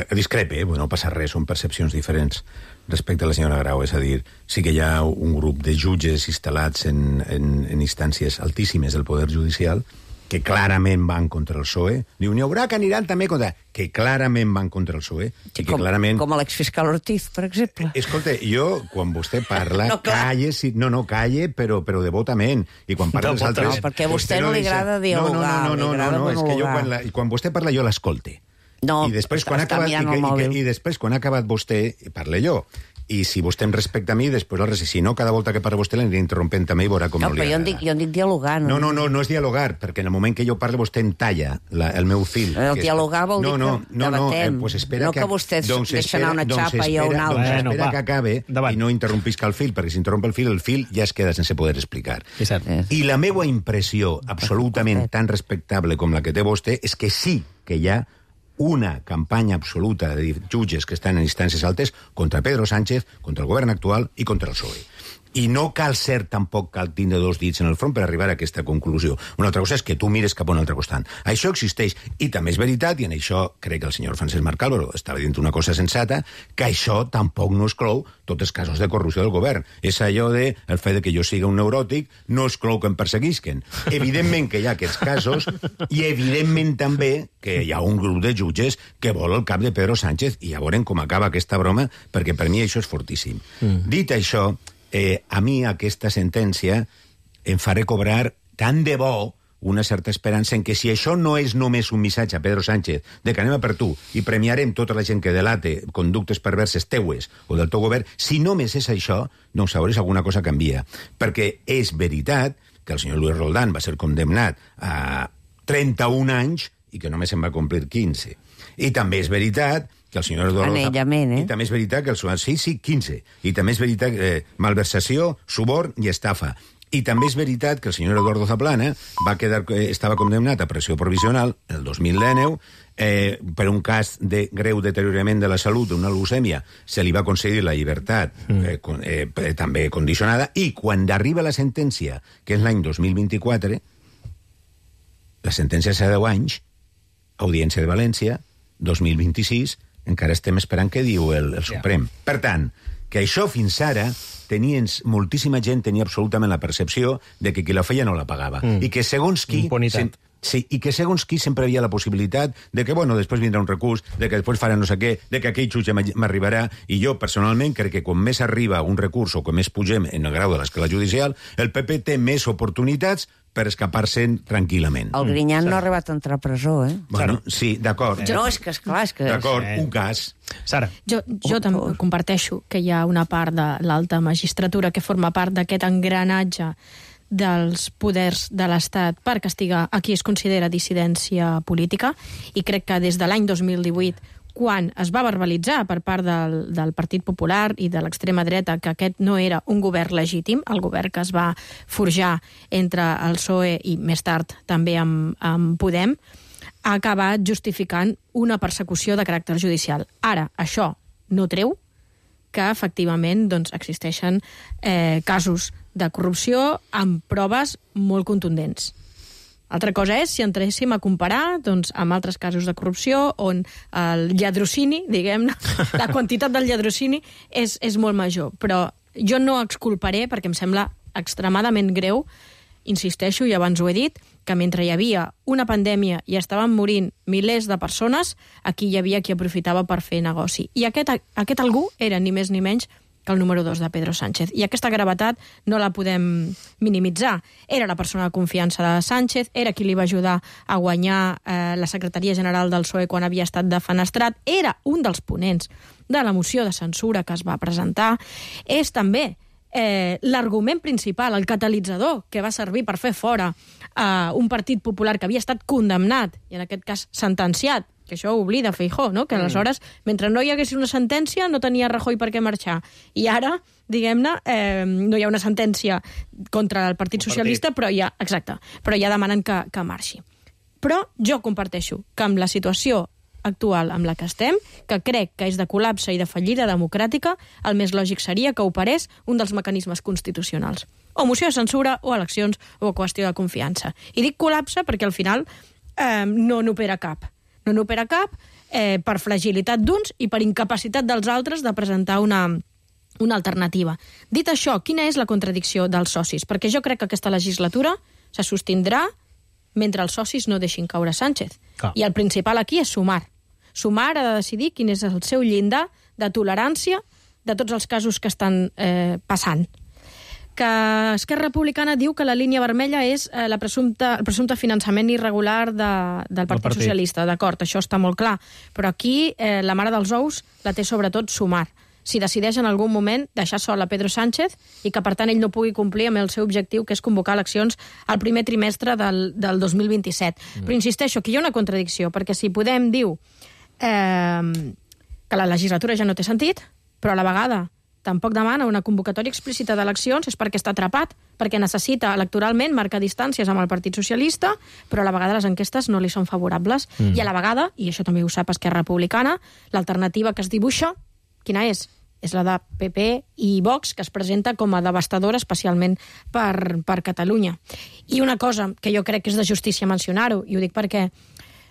ha discrepe, eh? No passa res, són percepcions diferents respecte a la senyora Grau, és a dir, sí que hi ha un grup de jutges instal·lats en, en, en instàncies altíssimes del Poder Judicial que clarament van contra el P S O E. Diu, n'hi haurà que aniran també contra... Que clarament van contra el P S O E. Sí, i que com, clarament... com l'exfiscal Ortiz, per exemple. Escolta, jo, quan vostè parla, no, calle, sí, no, no, calle, però, però devotament. I quan parla dels altres... No, perquè a vostè no li agrada dialogar. No, no, no, no, no, no, no, és que jo quan, la, quan vostè parla jo l'escolte. No, I després, quan ha acabat, i, que, i, que, I després, quan ha acabat vostè, parle jo. I si vostè em respecta a mi, després el si no, cada volta que parla vostè l'aniré interrompent també i veurà com no, no li agrada. No, però jo en dic, jo en dic dialogar. No, no, no, no, no és dialogar, perquè en el moment que jo parlo vostè em talla la, el meu fil. El que dialogar vol no, dir no, que no, debatem. No, eh, pues espera no que, que vostè doncs deixa anar una doncs xapa espera, i jo una altra. Doncs bueno, espera va, que acabe davant. I no interrompisca el fil, perquè si interromp el fil, el fil ja es queda sense poder explicar. Exacte. I la meva impressió, absolutament tan respectable com la que té vostè, és que sí que hi ha una campanya absoluta de jutges que estan en instàncies altes contra Pedro Sánchez, contra el govern actual i contra el P S O E. I no cal ser tampoc cal tindre dos dits en el front per arribar a aquesta conclusió. Una altra cosa és que tu mires cap a un altre costat. Això existeix, i també és veritat, i en això crec que el senyor Francesc Marc Álvaro estava dient una cosa sensata, que això tampoc no exclou tots els casos de corrupció del govern. És allò de, el fet de que jo siga un neuròtic no exclou que em perseguisquen. Evidentment que hi ha aquests casos, i evidentment també que hi ha un grup de jutges que vol el cap de Pedro Sánchez, i ja veurem com acaba aquesta broma, perquè per mi això és fortíssim. Mm. Dit això, Eh, a mi aquesta sentència em faré cobrar tant de bo una certa esperança en que si això no és només un missatge a Pedro Sánchez de que anem a per tu i premiarem tota la gent que delate conductes perverses teues o del teu govern, si només és això, doncs llavors alguna cosa canvia. Perquè és veritat que el senyor Luis Roldán va ser condemnat a trenta-un anys i que només en va complir quinze. I també és veritat que el senyor Eduardo... Anellament, eh? I també és veritat que el senyor... Sí, sí, quinze. I també és veritat que eh, malversació, suborn i estafa. I també és veritat que el senyor Eduardo Zaplana va quedar, estava condemnat a pressió provisional el dos mil dinou eh, per un cas de greu deteriorament de la salut d'una leucèmia. Se li va concedir la llibertat eh, con, eh, també condicionada, i quan arriba la sentència, que és l'any dos mil vint-i-quatre, la sentència és a deu anys, Audiència de València, dos mil vint-i-sis, encara estem esperant què diu el, el Suprem. Yeah. Per tant, que això fins ara tenien, moltíssima gent tenia absolutament la percepció de que qui la feia no la pagava. Mm. I que segons qui... Impunitat. Sí, i que segons qui sempre hi havia la possibilitat de que, bueno, després vindrà un recurs, de que després farà no sé què, de que aquell jutge m'arribarà, i jo, personalment, crec que quan més arriba un recurs o quan més pugem en el grau de l'escala judicial, el P P té més oportunitats per escapar-se'n tranquil·lament. El Griñán mm. no ha arribat a entrar a presó, eh? Bueno, sí, d'acord. No, és que, esclar, és que... D'acord, un cas. Sara. Jo, jo també comparteixo que hi ha una part de l'alta magistratura que forma part d'aquest engranatge dels poders de l'Estat per castigar a qui es considera dissidència política, i crec que des de l'any dos mil divuit, quan es va verbalitzar per part del, del Partit Popular i de l'extrema dreta que aquest no era un govern legítim, el govern que es va forjar entre el P S O E i més tard també amb, amb Podem, ha acabat justificant una persecució de caràcter judicial. Ara, això no treu que efectivament doncs, existeixen eh, casos de corrupció amb proves molt contundents. Altra cosa és si entréssim a comparar doncs, amb altres casos de corrupció on el lladrocini, diguem-ne, la quantitat del lladrocini és, és molt major. Però jo no exculparé, perquè em sembla extremadament greu, insisteixo, i abans ho he dit, que mentre hi havia una pandèmia i estaven morint milers de persones, aquí hi havia qui aprofitava per fer negoci. I aquest, aquest algú era ni més ni menys que el número dos de Pedro Sánchez. I aquesta gravetat no la podem minimitzar. Era la persona de confiança de Sánchez, era qui li va ajudar a guanyar eh, la secretaria general del P S O E quan havia estat defenestrat, era un dels ponents de la moció de censura que es va presentar, és també eh, l'argument principal, el catalitzador que va servir per fer fora eh, un partit popular que havia estat condemnat, i en aquest cas sentenciat, que això ho oblida Feijóo, no? Que aleshores, mentre no hi hagués una sentència, no tenia Rajoy per què marxar. I ara, diguem-ne, eh, no hi ha una sentència contra el Partit Socialista, però ja, exacte, però ja demanen que, que marxi. Però jo comparteixo que amb la situació actual amb la que estem, que crec que és de col·lapse i de fallida democràtica, el més lògic seria que operés un dels mecanismes constitucionals. O moció de censura, o eleccions, o qüestió de confiança. I dic col·lapse perquè al final eh, no n'opera cap. No n'opera cap eh, per fragilitat d'uns i per incapacitat dels altres de presentar una, una alternativa. Dit això, quina és la contradicció dels socis? Perquè jo crec que aquesta legislatura se sostindrà mentre els socis no deixin caure Sánchez. Ah. I el principal aquí és Sumar. Sumar ha de decidir quin és el seu llindar de tolerància de tots els casos que estan eh, passant. Que Esquerra Republicana diu que la línia vermella és eh, la presumpta, el presumpte finançament irregular de, del Partit, Partit Socialista. D'acord, això està molt clar. Però aquí eh, la mare dels ous la té sobretot Sumar. Si decideix en algun moment deixar sol a Pedro Sánchez i que, per tant, ell no pugui complir amb el seu objectiu, que és convocar eleccions al primer trimestre del, del dos mil vint-i-set. Mm. Però insisteixo, que hi ha una contradicció, perquè si Podem diu eh, que la legislatura ja no té sentit, però a la vegada tampoc demana una convocatòria explícita d'eleccions, és perquè està atrapat, perquè necessita electoralment marcar distàncies amb el Partit Socialista, però a la vegada les enquestes no li són favorables. Mm. I a la vegada, i això també ho sap Esquerra Republicana, l'alternativa que es dibuixa, quina és? És la de P P i Vox, que es presenta com a devastadora especialment per, per Catalunya. I una cosa que jo crec que és de justícia mencionar-ho, i ho dic perquè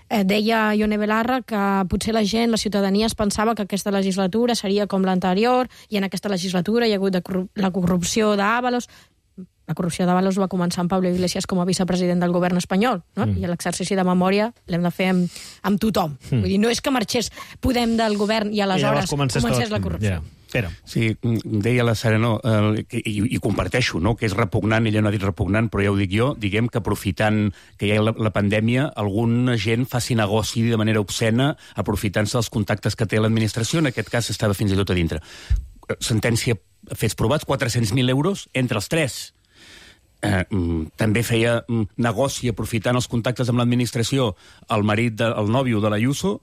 Eh, deia Ione Belarra que potser la gent, la ciutadania, es pensava que aquesta legislatura seria com l'anterior, i en aquesta legislatura hi ha hagut de corrup la corrupció d'Ábalos. La corrupció d'Ábalos va començar amb Pablo Iglesias com a vicepresident del govern espanyol, no? Mm. I l'exercici de memòria l'hem de fer amb, amb tothom. Mm. Vull dir, no és que marxés Podem del govern i aleshores I comencés tot. La corrupció. Yeah. Però. Sí, deia la Sara, no, eh, i, i comparteixo, no, que és repugnant, ella no ha dit repugnant, però ja ho dic jo, diguem que aprofitant que hi ha la, la pandèmia, alguna gent faci negoci de manera obscena aprofitant-se dels contactes que té l'administració, en aquest cas estava fins i tot a dintre. Sentència, fets provats, quatre-cents mil euros entre els tres. Eh, també feia negoci aprofitant els contactes amb l'administració el marit, de, el nòvio de l'Ayuso,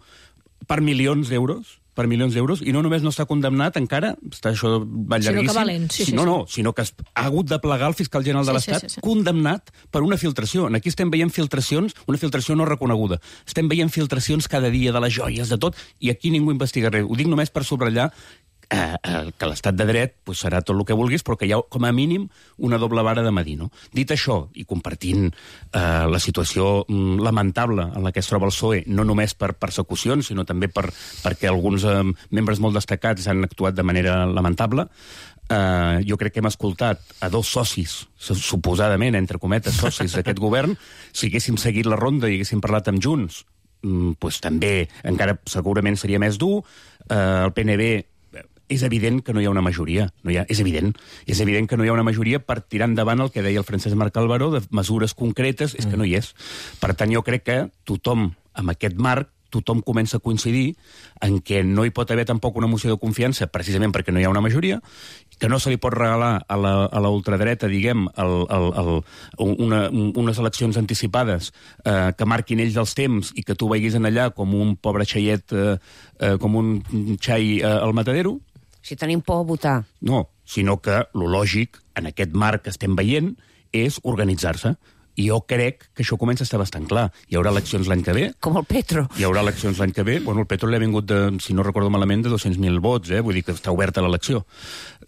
per milions d'euros. per milions d'euros, i no només no està condemnat encara, està això va llarguíssim, sinó que valent, sí, sí, sinó, sí. no, sinó que ha hagut de plegar el fiscal general de Sí, l'Estat, sí, sí, sí. condemnat per una filtració. Aquí estem veient filtracions, una filtració no reconeguda. Estem veient filtracions cada dia de les joies, de tot, i aquí ningú investiga res. Ho dic només per subratllar Eh, eh, que l'estat de dret pues, serà tot el que vulguis, però que hi ha, com a mínim, una doble vara de medir, no? Dit això, i compartint eh, la situació mm, lamentable en la que es troba el P S O E, no només per persecucions, sinó també per, perquè alguns eh, membres molt destacats han actuat de manera lamentable, eh, jo crec que hem escoltat a dos socis, suposadament, entre cometes, socis d'aquest govern. Si haguéssim seguit la ronda i haguéssim parlat amb Junts, mm, pues, també encara segurament seria més dur. Eh, el P N B és evident que no hi ha una majoria. No hi ha, és evident. És evident que no hi ha una majoria per tirar endavant el que deia el Francesc Marc Albaró, de mesures concretes, és que no hi és. Per tant, jo crec que tothom, amb aquest marc, tothom comença a coincidir en què no hi pot haver tampoc una moció de confiança, precisament perquè no hi ha una majoria, que no se li pot regalar a la, a la ultradreta, diguem, el, el, el, una, unes eleccions anticipades eh, que marquin ells els temps i que tu vegis en allà com un pobre xaiet, eh, eh, com un xai eh, al matadero. Si tenim por a votar. No, sinó que lo lògic, en aquest marc que estem veient, és organitzar-se. I jo crec que això comença a estar bastant clar. Hi haurà eleccions l'any que ve. Com el Petro. Hi haurà eleccions l'any que ve. Bueno, el Petro li ha vingut, de, si no recordo malament, de dos-cents mil vots, eh? Vull dir que està oberta l'elecció,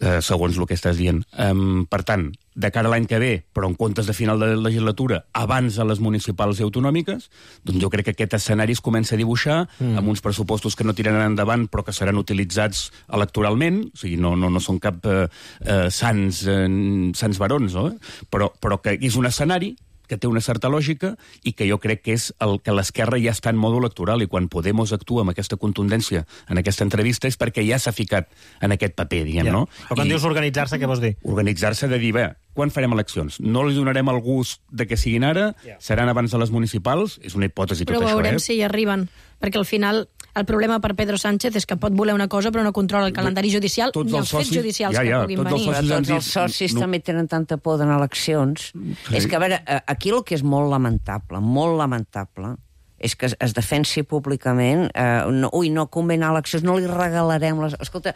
eh, segons el que estàs dient. Um, per tant, de cara a l'any que ve, però en comptes de final de legislatura, abans de les municipals i autonòmiques, doncs jo crec que aquest escenari es comença a dibuixar mm. amb uns pressupostos que no tiraran endavant però que seran utilitzats electoralment, o sigui, no, no, no són cap eh, eh, sants, eh, sants barons, no? però, però que és un escenari que té una certa lògica i que jo crec que és el que l'esquerra ja està en mòdul electoral, i quan Podemos actua amb aquesta contundència en aquesta entrevista és perquè ja s'ha ficat en aquest paper, diguem, ja. no? Però quan I... dius organitzar-se, què vols dir? Organitzar-se de dir, bé, quan farem eleccions? No li donarem el gust de que siguin ara, yeah. seran abans de les municipals, és una hipòtesi però tot això, eh? Però veurem si hi arriben, perquè al final el problema per Pedro Sánchez és que pot voler una cosa però no controla el calendari judicial tots ni els, els fets judicials ja, ja, que puguin venir. Els tots els socis no. també tenen tanta por d'anar a eleccions. Sí. És que, a veure, aquí el que és molt lamentable, molt lamentable, és que es, es defensi públicament, eh, no, ui, no convé anar a eleccions, no li regalarem les... Escolta,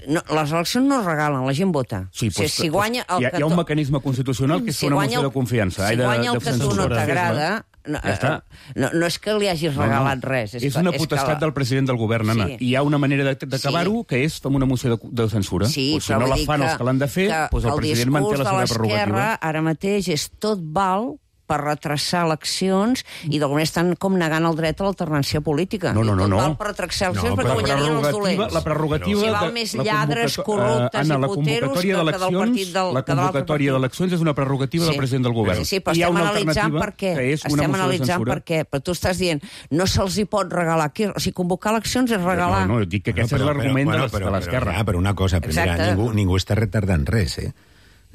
no, les eleccions no es regalen, la gent vota. Sí, pues, o sigui, si guanya el hi, ha, hi ha un mecanisme constitucional que és si una moció de confiança. Si guanya el que tu no t'agrada, no, ja no, no és que li hagis regalat no, no. res. És, és una potestat és la... del president del govern, Anna. Sí. I hi ha una manera d'acabar-ho, sí. que és fer una moció de, de censura. Sí, o si no la fan els que l'han de fer, doncs el, el president manté la seva prerrogativa. Ara mateix és tot val per retrasar eleccions i d'alguna estan com negant el dret a l'alternància política. No, no, no. no. Val per retrasar eleccions no, perquè guanyarien els dolents. La prerrogativa... Si val més lladres, corruptes Anna, i puteros que, que del partit del... La convocatòria d'eleccions és una prerrogativa sí. del president del govern. Sí, sí, però estem analitzant per què. Estem analitzant per què. Però tu estàs dient, no se'ls hi pot regalar. O sigui, convocar eleccions és regalar. No, no, dic que aquest és l'argument de l'esquerra. Però una cosa, primera, ningú està retardant res, eh?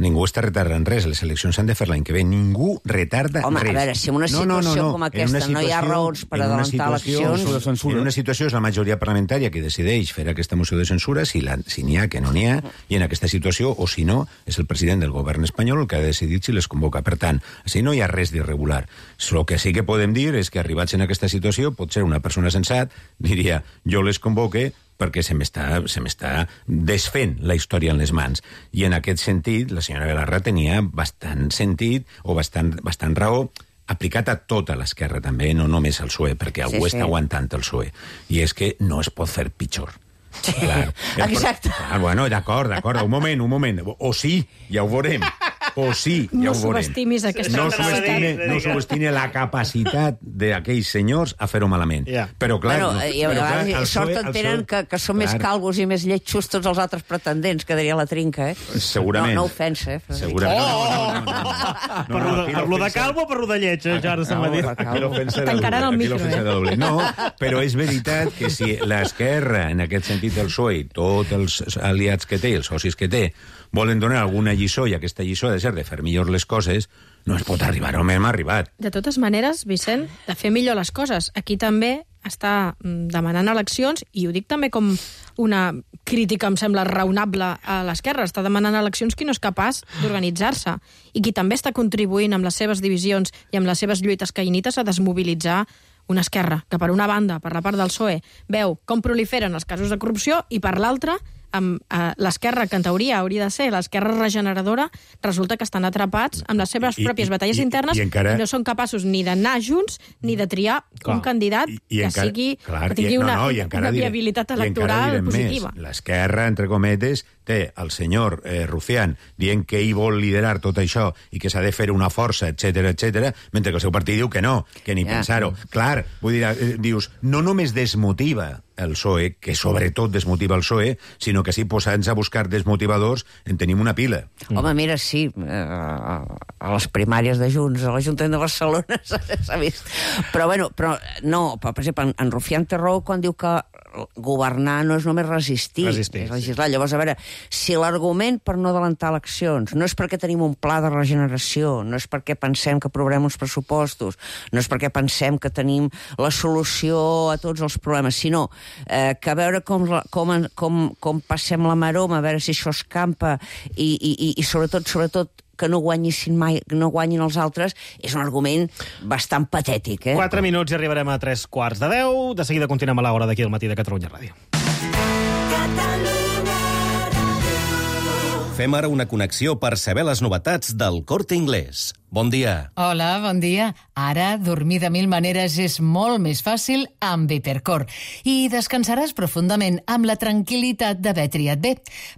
Ningú està retardant res. Les eleccions s'han de fer l'any que ve. Ningú retarda Home, res. Home, a veure, si en una situació no, no, no, no. com aquesta situació, no hi ha raons per adelantar eleccions... En una situació és la majoria parlamentària que decideix fer aquesta moció de censura, si n'hi si ha, que no n'hi ha, i en aquesta situació, o si no, és el president del govern espanyol el que ha decidit si les convoca. Per tant, si no hi ha res d'irregular. El que sí que podem dir és que arribats en aquesta situació, potser una persona sensat diria, jo les convoque perquè se m'està se m'està desfent la història en les mans. I en aquest sentit, la senyora Galarra tenia bastant sentit o bastant, bastant raó aplicat a tota l'esquerra també, no només al P S O E, perquè algú sí, sí. està aguantant el P S O E. I és que no es pot fer pitjor. Sí. Clar. Exacte. Ah, bueno, d'acord, d'acord, un moment, un moment. O sí, ja ho veurem. O sí, ja no ho veurem. subestimis aquesta no subestime, no subestime la capacitat d'aquells senyors a fer-ho malament. Yeah. Però clar... Bueno, no, i a vegades clar, sort en tenen que, que són clar. més calvos i més lletjos tots els altres pretendents, que diria la trinca, eh? Segurament. No, no ofensa, eh? Segurament. Oh! Per lo de calvo o per lo de lleig, eh? Ja ara se'n va dir. Tancaran el micro, eh? No, però és veritat que si l'esquerra, en aquest sentit el P S O E, tots els aliats que té, els socis que té, volen donar alguna lliçó, i aquesta lliçó ha de ser de fer millor les coses, no es pot arribar on hem arribat. De totes maneres, Vicent, de fer millor les coses. Aquí també està demanant eleccions, i ho dic també com una crítica, em sembla, raonable a l'esquerra. Està demanant eleccions qui no és capaç d'organitzar-se, i qui també està contribuint amb les seves divisions i amb les seves lluites caïnites a desmobilitzar una esquerra que per una banda, per la part del P S O E, veu com proliferen els casos de corrupció i per l'altra amb eh, l'esquerra, que en teoria hauria de ser l'esquerra regeneradora, resulta que estan atrapats amb les seves I, pròpies i, batalles i, internes i encara... i no són capaços ni d'anar junts ni de triar clar, un candidat i, i que encara, sigui clar, que tingui i, una, no, no, una diré, viabilitat electoral positiva. Més. L'esquerra, entre cometes, té el senyor eh, Rufián dient que ell vol liderar tot això i que s'ha de fer una força, etc etc, mentre que el seu partit diu que no, que ni yeah. pensar-ho. Clar, vull dir, eh, dius, no només desmotiva el P S O E, que sobretot desmotiva el P S O E, sinó que si posant-se a buscar desmotivadors en tenim una pila. Mm. Home, mira, sí, eh, a les primàries de Junts, a l'Ajuntament de Barcelona s'ha vist. Però, bueno, però no, per exemple, en, en Rufián té raó quan diu que governar no és només resistir, resistir és legislar. Sí. Llavors, a veure, si l'argument per no adelantar eleccions no és perquè tenim un pla de regeneració, no és perquè pensem que aprovarem uns pressupostos, no és perquè pensem que tenim la solució a tots els problemes, sinó eh, que a veure com, com, com, com passem la maroma, a veure si això escampa i, i, i, i sobretot, sobretot, que no guanyissin mai, que no guanyin els altres, és un argument bastant patètic, eh? Quatre minuts i arribarem a tres quarts de deu. De seguida continuem a l'hora d'aquí al matí de Catalunya Ràdio. Fem ara una connexió per saber les novetats del Corte Inglés. Bon dia. Hola, bon dia. Ara, dormir de mil maneres és molt més fàcil amb Hipercor. I descansaràs profundament amb la tranquil·litat d'haver triat bé,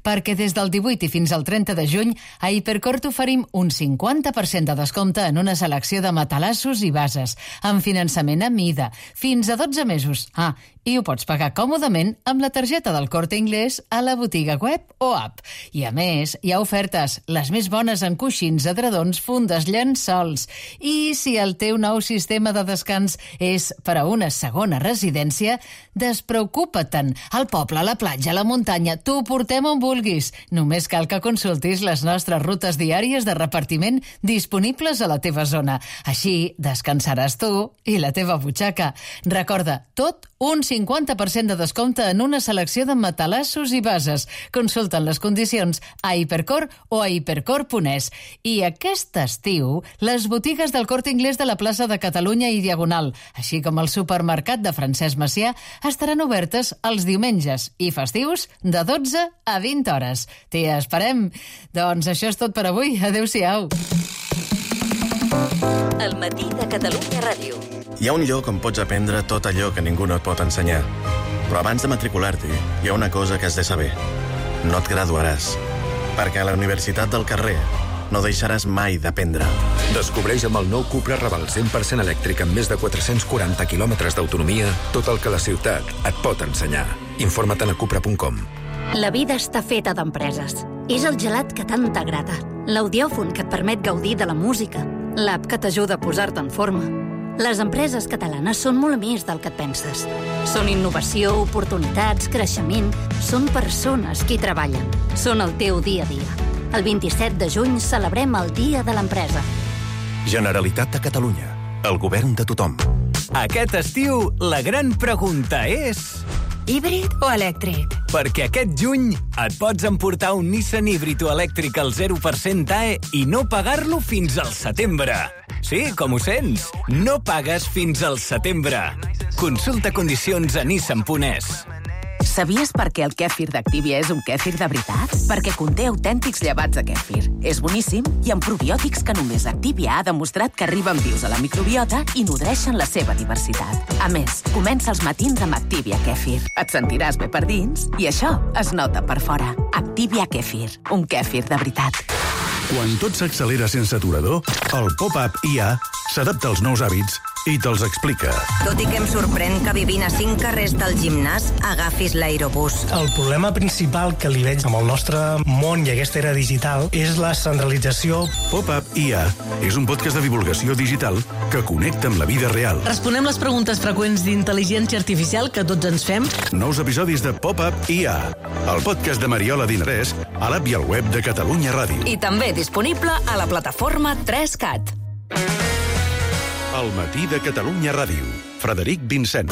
perquè des del divuit i fins al trenta de juny a Hipercor t'oferim un cinquanta per cent de descompte en una selecció de matalassos i bases, amb finançament a mida, fins a dotze mesos. Ah, i ho pots pagar còmodament amb la targeta del Corte Inglés a la botiga web o app. I a més, hi ha ofertes, les més bones en coixins, edredons, fundes, llençols. I si el teu nou sistema de descans és per a una segona residència, despreocupa-te'n. Al poble, a la platja, a la muntanya, t'ho portem on vulguis. Només cal que consultis les nostres rutes diàries de repartiment disponibles a la teva zona. Així descansaràs tu i la teva butxaca. Recorda, tot un cinquanta per cent de descompte en una selecció de matalassos i bases. Consulten les condicions a Hipercor o a hipercor punt es. I aquest estiu, les botigues del Corte Inglés de la plaça de Catalunya i Diagonal, així com el supermercat de Francesc Macià, estaran obertes els diumenges i festius de dotze a vint hores. T'hi esperem. Doncs això és tot per avui. Adéu-siau. El matí de Catalunya Ràdio. Hi ha un lloc on pots aprendre tot allò que ningú no et pot ensenyar. Però abans de matricular-t'hi, hi ha una cosa que has de saber. No et graduaràs. Perquè a la Universitat del Carrer no deixaràs mai d'aprendre. Descobreix amb el nou Cupra Raval cent per cent elèctric amb més de quatre-cents quaranta quilòmetres d'autonomia tot el que la ciutat et pot ensenyar. Informa't a cupra punt com. La vida està feta d'empreses. És el gelat que tant t'agrada, l'audiòfon que et permet gaudir de la música, l'app que t'ajuda a posar-te en forma. Les empreses catalanes són molt més del que et penses. Són innovació, oportunitats, creixement. Són persones qui treballen. Són el teu dia a dia. El vint-i-set de juny celebrem el Dia de l'Empresa. Generalitat de Catalunya. El govern de tothom. Aquest estiu, la gran pregunta és... híbrid o elèctric? Perquè aquest juny et pots emportar un Nissan híbrid o elèctric al zero per cent A E i no pagar-lo fins al setembre. Sí, com ho sents? No pagues fins al setembre. Consulta condicions a nissan punt es. Sabies per què el kèfir d'Activia és un kèfir de veritat? Perquè conté autèntics llevats de kèfir. És boníssim i amb probiòtics que només Activia ha demostrat que arriben vius a la microbiota i nodreixen la seva diversitat. A més, comença els matins amb Activia Kèfir. Et sentiràs bé per dins i això es nota per fora. Activia Kèfir, un kèfir de veritat. Quan tot s'accelera sense aturador, el pop-up I A s'adapta als nous hàbits i te'ls explica. Tot i que em sorprèn que vivint a cinc carrers del gimnàs agafis l'aerobús. El problema principal que li veig amb el nostre món i aquesta era digital és la centralització. Pop-up I A és un podcast de divulgació digital que connecta amb la vida real. Responem les preguntes freqüents d'intel·ligència artificial que tots ens fem. Nous episodis de Pop-up I A, el podcast de Mariola Dinarès, a l'app i al web de Catalunya Ràdio. I també disponible a la plataforma tres cat. El matí de Catalunya Ràdio. Frederic Vincent.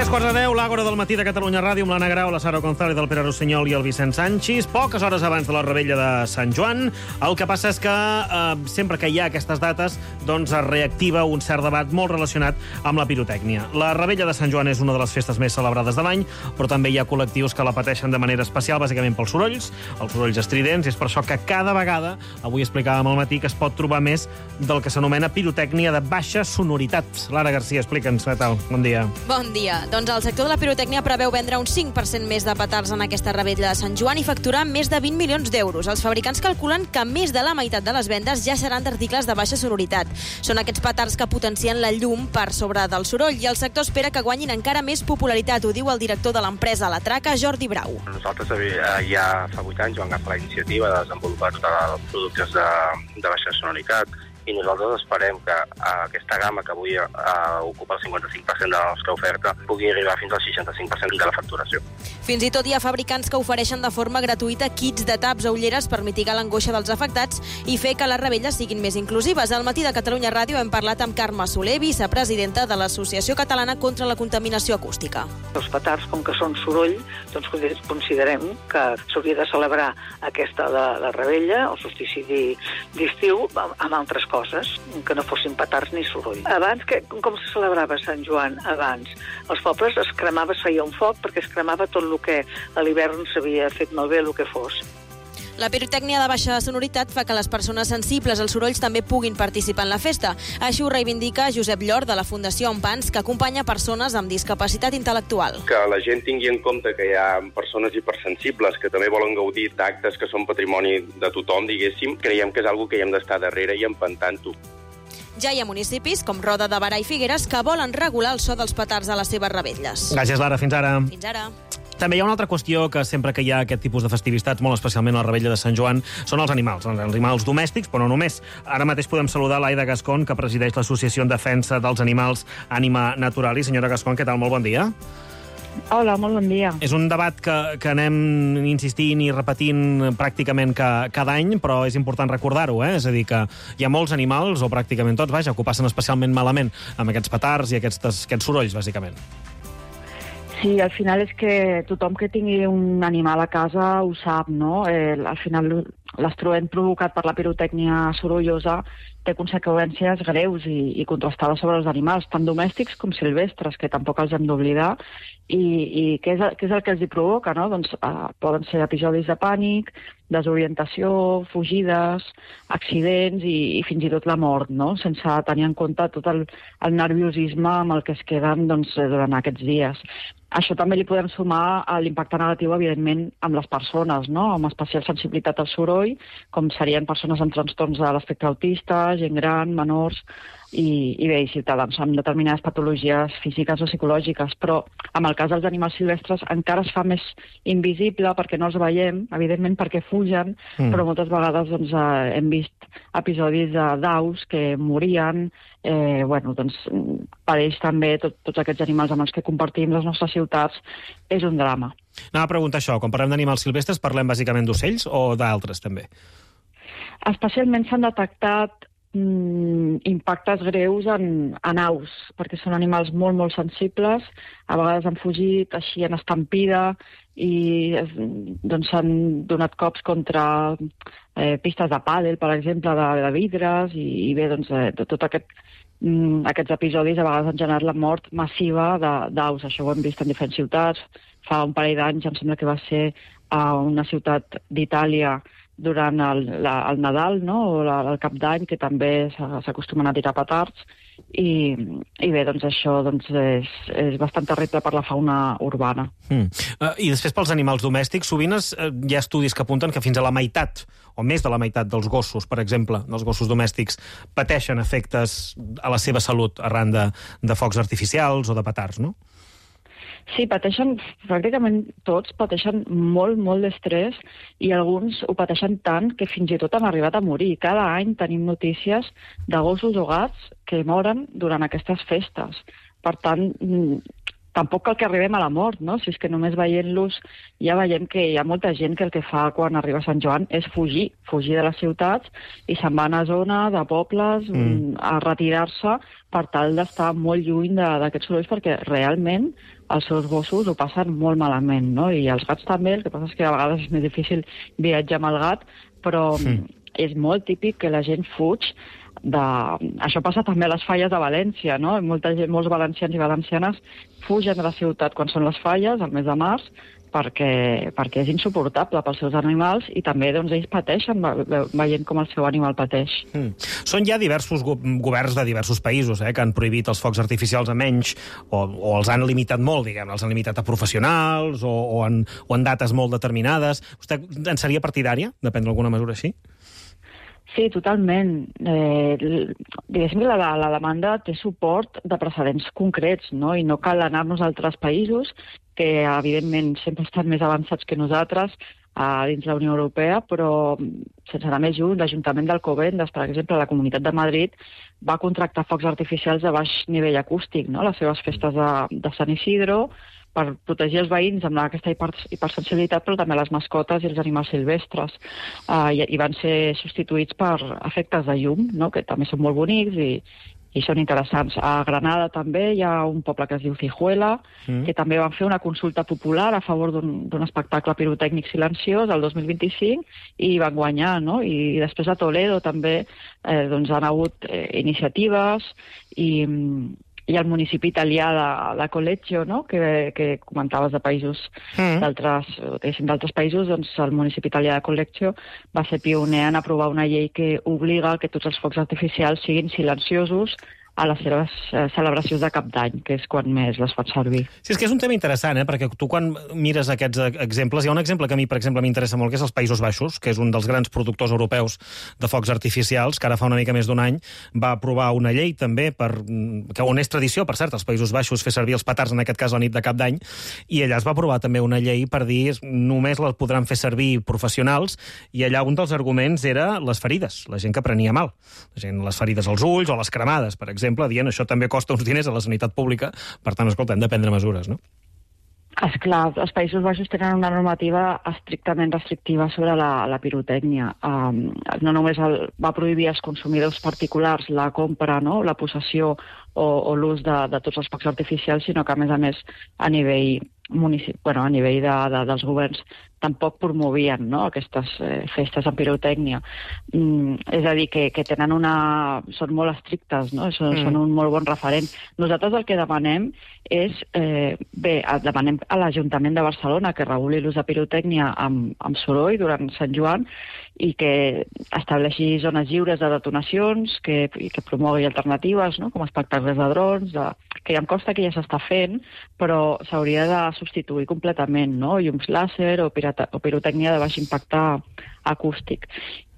Tres quarts de deu, l'Àgora del matí de Catalunya Ràdio, amb l'Anna Grau, la Sara González, el Pere Rossinyol i el Vicent Sanchis. Poques hores abans de la revetlla de Sant Joan. El que passa és que eh, sempre que hi ha aquestes dates doncs es reactiva un cert debat molt relacionat amb la pirotècnia. La revetlla de Sant Joan és una de les festes més celebrades de l'any, però també hi ha col·lectius que la pateixen de manera especial, bàsicament pels sorolls, els sorolls estridents, i és per això que cada vegada, avui explicàvem al matí, que es pot trobar més del que s'anomena pirotècnia de baixa sonoritat. Lara Garcia, explica'ns, què tal? Bon dia. Bon dia. Doncs el sector de la pirotècnia preveu vendre un cinc per cent més de petards en aquesta revetlla de Sant Joan i facturar més de vint milions d'euros. Els fabricants calculen que més de la meitat de les vendes ja seran d'articles de baixa sonoritat. Són aquests petards que potencien la llum per sobre del soroll i el sector espera que guanyin encara més popularitat, ho diu el director de l'empresa La Traca, Jordi Brau. Nosaltres ja fa vuit anys vam agafar la iniciativa de desenvolupar tots els productes de, de baixa sonoritat, i nosaltres esperem que aquesta gamma, que avui uh, ocupa el cinquanta-cinc per cent de la nostra oferta, pugui arribar fins al seixanta-cinc per cent de la facturació. Fins i tot hi ha fabricants que ofereixen de forma gratuïta kits de taps o ulleres per mitigar l'angoixa dels afectats i fer que les rebelles siguin més inclusives. Al matí de Catalunya Ràdio hem parlat amb Carme Soler, vicepresidenta de l'Associació Catalana contra la Contaminació Acústica. Els petards, com que són soroll, doncs considerem que s'hauria de celebrar aquesta la, la rebella, el solstici d'estiu, amb altres coses, que no fossin petards ni soroll. Abans, que, com se celebrava Sant Joan abans? Els pobles es cremava, es feia un foc perquè es cremava tot el que a l'hivern s'havia fet malbé, el que fos. La pirotècnia de baixa sonoritat fa que les persones sensibles als sorolls també puguin participar en la festa. Així ho reivindica Josep Llor, de la Fundació Empans, que acompanya persones amb discapacitat intel·lectual. Que la gent tingui en compte que hi ha persones hipersensibles que també volen gaudir d'actes que són patrimoni de tothom, diguéssim, creiem que és algo que hi hem d'estar darrere i empantant-ho. Ja hi ha municipis, com Roda de Berà i Figueres, que volen regular el so dels petards a les seves revetlles. Gràcies, Lara. Fins ara. Fins ara. També hi ha una altra qüestió que sempre que hi ha aquest tipus de festivitats, molt especialment a la revetlla de Sant Joan, són els animals, els animals domèstics, però no només. Ara mateix podem saludar l'Aida Gascón, que presideix l'Associació en Defensa dels Animals Ànima Naturalis. Senyora Gascón, què tal? Molt bon dia. Hola, molt bon dia. És un debat que, que anem insistint i repetint pràcticament ca, cada any, però és important recordar-ho, eh? És a dir, que hi ha molts animals, o pràcticament tots, vaja, que ho passen especialment malament amb aquests petards i aquests, aquests sorolls, bàsicament. Sí, al final és que tothom que tingui un animal a casa ho sap, no? Eh, al final l'estroent provocat per la pirotècnia sorollosa té conseqüències greus i, i contrastades sobre els animals, tant domèstics com silvestres, que tampoc els hem d'oblidar. I, i què, és, què és el que els hi provoca, no? Doncs eh, poden ser episodis de pànic, desorientació, fugides, accidents i, i fins i tot la mort, no? Sense tenir en compte tot el, el nerviosisme amb el que es queden doncs, durant aquests dies. Això també li podem sumar a l'impacte negatiu, evidentment, amb les persones, no? Amb especial sensibilitat al soroll, com serien persones amb trastorns de l'espectre autista, gent gran, menors, i, i bé, i ciutadans amb determinades patologies físiques o psicològiques. Però en el cas dels animals silvestres encara es fa més invisible perquè no els veiem, evidentment perquè fugen, mm. però moltes vegades doncs, eh, hem vist episodis d'aus que morien. Eh, bueno, doncs, per ells també, tot, tots aquests animals amb els que compartim les nostres ciutats, és un drama. Anava a preguntar això, quan parlem d'animals silvestres parlem bàsicament d'ocells o d'altres també? Especialment s'han detectat mm, impactes greus en, en aus, perquè són animals molt, molt sensibles, a vegades han fugit, així en estampida, i doncs s'han donat cops contra eh, pistes de pàdel, per exemple, de, de vidres, i, i bé, doncs, eh, tot aquest mm, aquests episodis a vegades han generat la mort massiva d'aus. Això ho hem vist en diferents ciutats. Fa un parell d'anys, em sembla que va ser a una ciutat d'Itàlia durant el, la, el Nadal, no? O la, el Cap d'Any, que també s'acostumen a tirar petards. I, i bé, doncs això doncs és, és bastant terrible per la fauna urbana. Mm. Uh, I després pels animals domèstics, sovint es, uh, hi ha estudis que apunten que fins a la meitat, o més de la meitat dels gossos, per exemple, dels gossos domèstics, pateixen efectes a la seva salut arran de, de focs artificials o de petards, no? Sí, pateixen, pràcticament tots pateixen molt, molt d'estrès i alguns ho pateixen tant que fins i tot han arribat a morir. Cada any tenim notícies de gossos o gats que moren durant aquestes festes. Per tant, tampoc cal que arribem a la mort, no? Si és que només veient-los ja veiem que hi ha molta gent que el que fa quan arriba a Sant Joan és fugir, fugir de les ciutats i se'n van a zona de pobles mm. a retirar-se per tal d'estar molt lluny d'aquests sorolls, perquè realment els seus gossos ho passen molt malament, no? I els gats també, el que passa és que a vegades és més difícil viatjar amb el gat, però mm. és molt típic que la gent fuig de... Això passa també a les falles de València, no? Molta gent, molts valencians i valencianes fugen de la ciutat quan són les falles, al mes de març, perquè, perquè és insuportable pels seus animals i també doncs, ells pateixen veient com el seu animal pateix. Mm. Són ja diversos go governs de diversos països eh, que han prohibit els focs artificials a menys o, o els han limitat molt, diguem, els han limitat a professionals o, o, en, o en dates molt determinades. Vostè en seria partidària de prendre alguna mesura així? Sí, totalment. Eh, diguéssim que la, la demanda té suport de precedents concrets, no? I no cal anar-nos a altres països que, evidentment, sempre estan més avançats que nosaltres a dins la Unió Europea, però sense anar més lluny, l'Ajuntament d'Alcobendas, per exemple, la Comunitat de Madrid, va contractar focs artificials de baix nivell acústic, no? Les seves festes de, de Sant Isidro, per protegir els veïns amb aquesta hipersensibilitat, però també les mascotes i els animals silvestres. Uh, i, I van ser substituïts per efectes de llum, no? Que també són molt bonics i, i són interessants. A Granada també hi ha un poble que es diu Cijuela, mm. que també van fer una consulta popular a favor d'un espectacle pirotècnic silenciós el dos mil vint-i-cinc i van guanyar, no? I després a Toledo també eh, doncs han hagut eh, iniciatives i... i el municipi italià de, de Collegio, no? que, que comentaves de països mm. d'altres països, doncs el municipi italià de Collegio va ser pioner en aprovar una llei que obliga que tots els focs artificials siguin silenciosos a les seves eh, celebracions de Cap d'Any, que és quan més les fan servir. Sí, és que és un tema interessant, eh? Perquè tu quan mires aquests exemples, hi ha un exemple que a mi, per exemple, m'interessa molt, que és els Països Baixos, que és un dels grans productors europeus de focs artificials, que ara fa una mica més d'un any va aprovar una llei també, per, que on és tradició, per cert, als Països Baixos fer servir els petards, en aquest cas la nit de Cap d'Any, i allà es va aprovar també una llei per dir només les podran fer servir professionals, i allà un dels arguments era les ferides, la gent que prenia mal, la gent, les ferides als ulls o les cremades, per exemple, exemple, dient això també costa uns diners a la sanitat pública, per tant, escolta, hem de prendre mesures, no? Esclar, els Països Baixos tenen una normativa estrictament restrictiva sobre la, la pirotècnia. Um, no només el, va prohibir als consumidors particulars la compra, no?, la possessió o, o l'ús de, de tots els focs artificials, sinó que, a més a més, a nivell municip... bueno, a nivell de, de, dels governs tampoc promovien, no?, aquestes eh, festes en pirotècnia. Mm, és a dir, que, que tenen una... són molt estrictes, no?, són, mm. són un molt bon referent. Nosaltres el que demanem és... Eh, bé, demanem a l'Ajuntament de Barcelona que reguli l'ús de pirotècnia amb, amb soroll durant Sant Joan i que estableixi zones lliures de detonacions, que, i que promogui alternatives, no?, com espectacles de drons, de, que ja em consta que ja s'està fent, però s'hauria de substituir completament, no?, llums làser o, pirata, o pirotècnia de baix impacte acústic.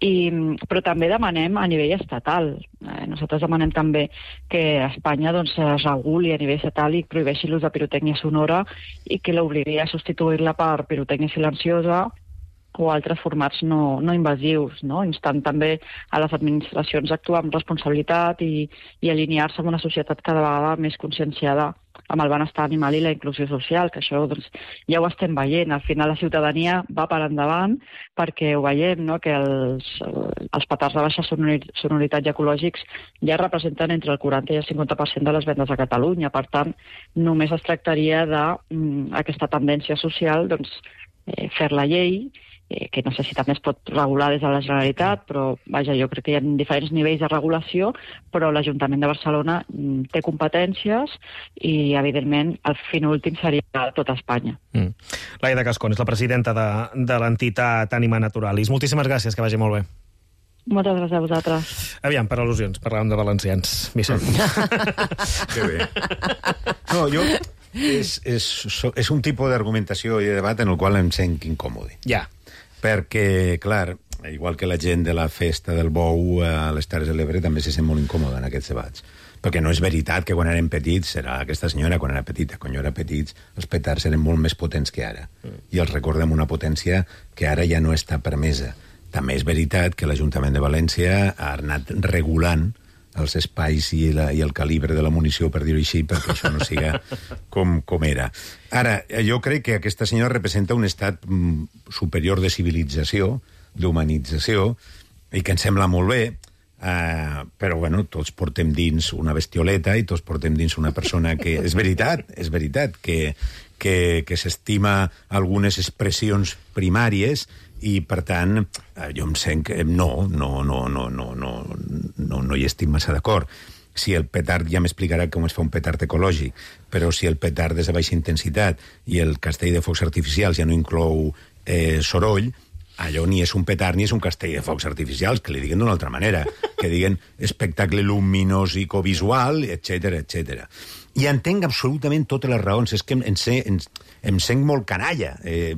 I, però també demanem a nivell estatal. Eh, nosaltres demanem també que a Espanya doncs, es reguli a nivell estatal i prohibeixi l'ús de pirotècnia sonora i que l'obligui a substituir-la per pirotècnia silenciosa o altres formats no, no invasius, no? Instant també a les administracions a actuar amb responsabilitat i, i alinear-se amb una societat cada vegada més conscienciada amb el benestar animal i la inclusió social, que això doncs, ja ho estem veient. Al final la ciutadania va per endavant perquè ho veiem, no?, que els, els petards de baixa sonoritat i ecològics ja representen entre el quaranta i el cinquanta per cent de les vendes a Catalunya. Per tant, només es tractaria d'aquesta tendència social, doncs, eh, fer la llei, Eh, que no sé si també es pot regular des de la Generalitat, però vaja, jo crec que hi ha diferents nivells de regulació, però l'Ajuntament de Barcelona mm, té competències i, evidentment, el fin últim seria tot Espanya. Mm. Laia de Cascón és la presidenta de, de l'entitat Ànima Naturalis. Moltíssimes gràcies, que vagi molt bé. Moltes gràcies a vosaltres. Aviam, per al·lusions, parlàvem de valencians. Vicent. Que bé. No, jo... És, és, és un tipus d'argumentació i de debat en el qual em sent incòmode. Ja. Perquè, clar, igual que la gent de la festa del bou a les Terres de l'Ebre també se sent molt incòmoda en aquests debats. Perquè no és veritat que quan érem petits, era aquesta senyora quan era petita, quan jo era petits, els petards eren molt més potents que ara. Mm. I els recordem una potència que ara ja no està permesa. També és veritat que l'Ajuntament de València ha anat regulant els espais i, la, i el calibre de la munició, per dir-ho així, perquè això no siga com, com era. Ara, jo crec que aquesta senyora representa un estat mm, superior de civilització, d'humanització, i que ens sembla molt bé, uh, però, bueno, tots portem dins una bestioleta i tots portem dins una persona que... És veritat, és veritat, que, que, que s'estima algunes expressions primàries i, per tant, jo em sent que no, no, no, no, no, no, no, no hi estic massa d'acord. Si el petard, ja m'explicarà com es fa un petard ecològic, però si el petard és de baixa intensitat i el castell de focs artificials ja no inclou eh, soroll, allò ni és un petard ni és un castell de focs artificials, que li diguen d'una altra manera, que diguen espectacle luminós i covisual, etcètera, etcètera. I entenc absolutament totes les raons. És que em, sé, em, em sent molt canalla eh,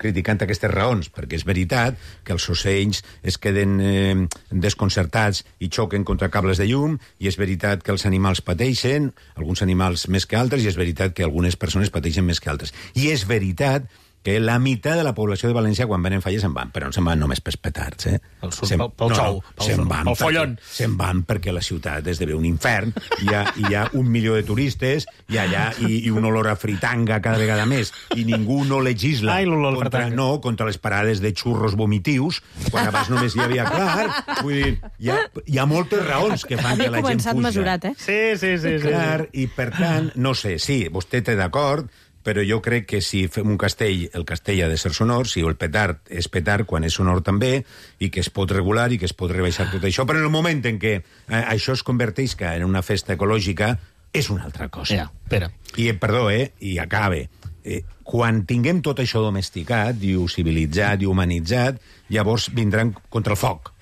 criticant aquestes raons, perquè és veritat que els ocells es queden eh, desconcertats i xoquen contra cables de llum, i és veritat que els animals pateixen, alguns animals més que altres, i és veritat que algunes persones pateixen més que altres. I és veritat que la meitat de la població de València, quan venen falles, se'n van, però no se'n van només pels petards, eh? Pel, se'n, pel, pel no, xou, pel, se'n van pel follon. Se'n van perquè la ciutat esdevé un infern, hi ha, hi ha un milió de turistes, i allà i, i un olor a fritanga cada vegada més, i ningú no legisla Ai, contra, no, contra les parades de xurros vomitius, quan abans només hi havia, clar, vull dir, hi ha, hi ha moltes raons que fan que la gent fuja. Mesurat, eh? Sí, sí, sí. Clar, sí. I per tant, no sé, sí, vostè té d'acord, però jo crec que si fem un castell, el castell ha de ser sonor, si el petard és petard quan és sonor també, i que es pot regular i que es pot rebaixar tot això, però en el moment en què eh, això es converteix en una festa ecològica, és una altra cosa. Ja, espera. I, perdó, eh, i acabe. Eh, quan tinguem tot això domesticat, i civilitzat, i humanitzat, llavors vindran contra el foc,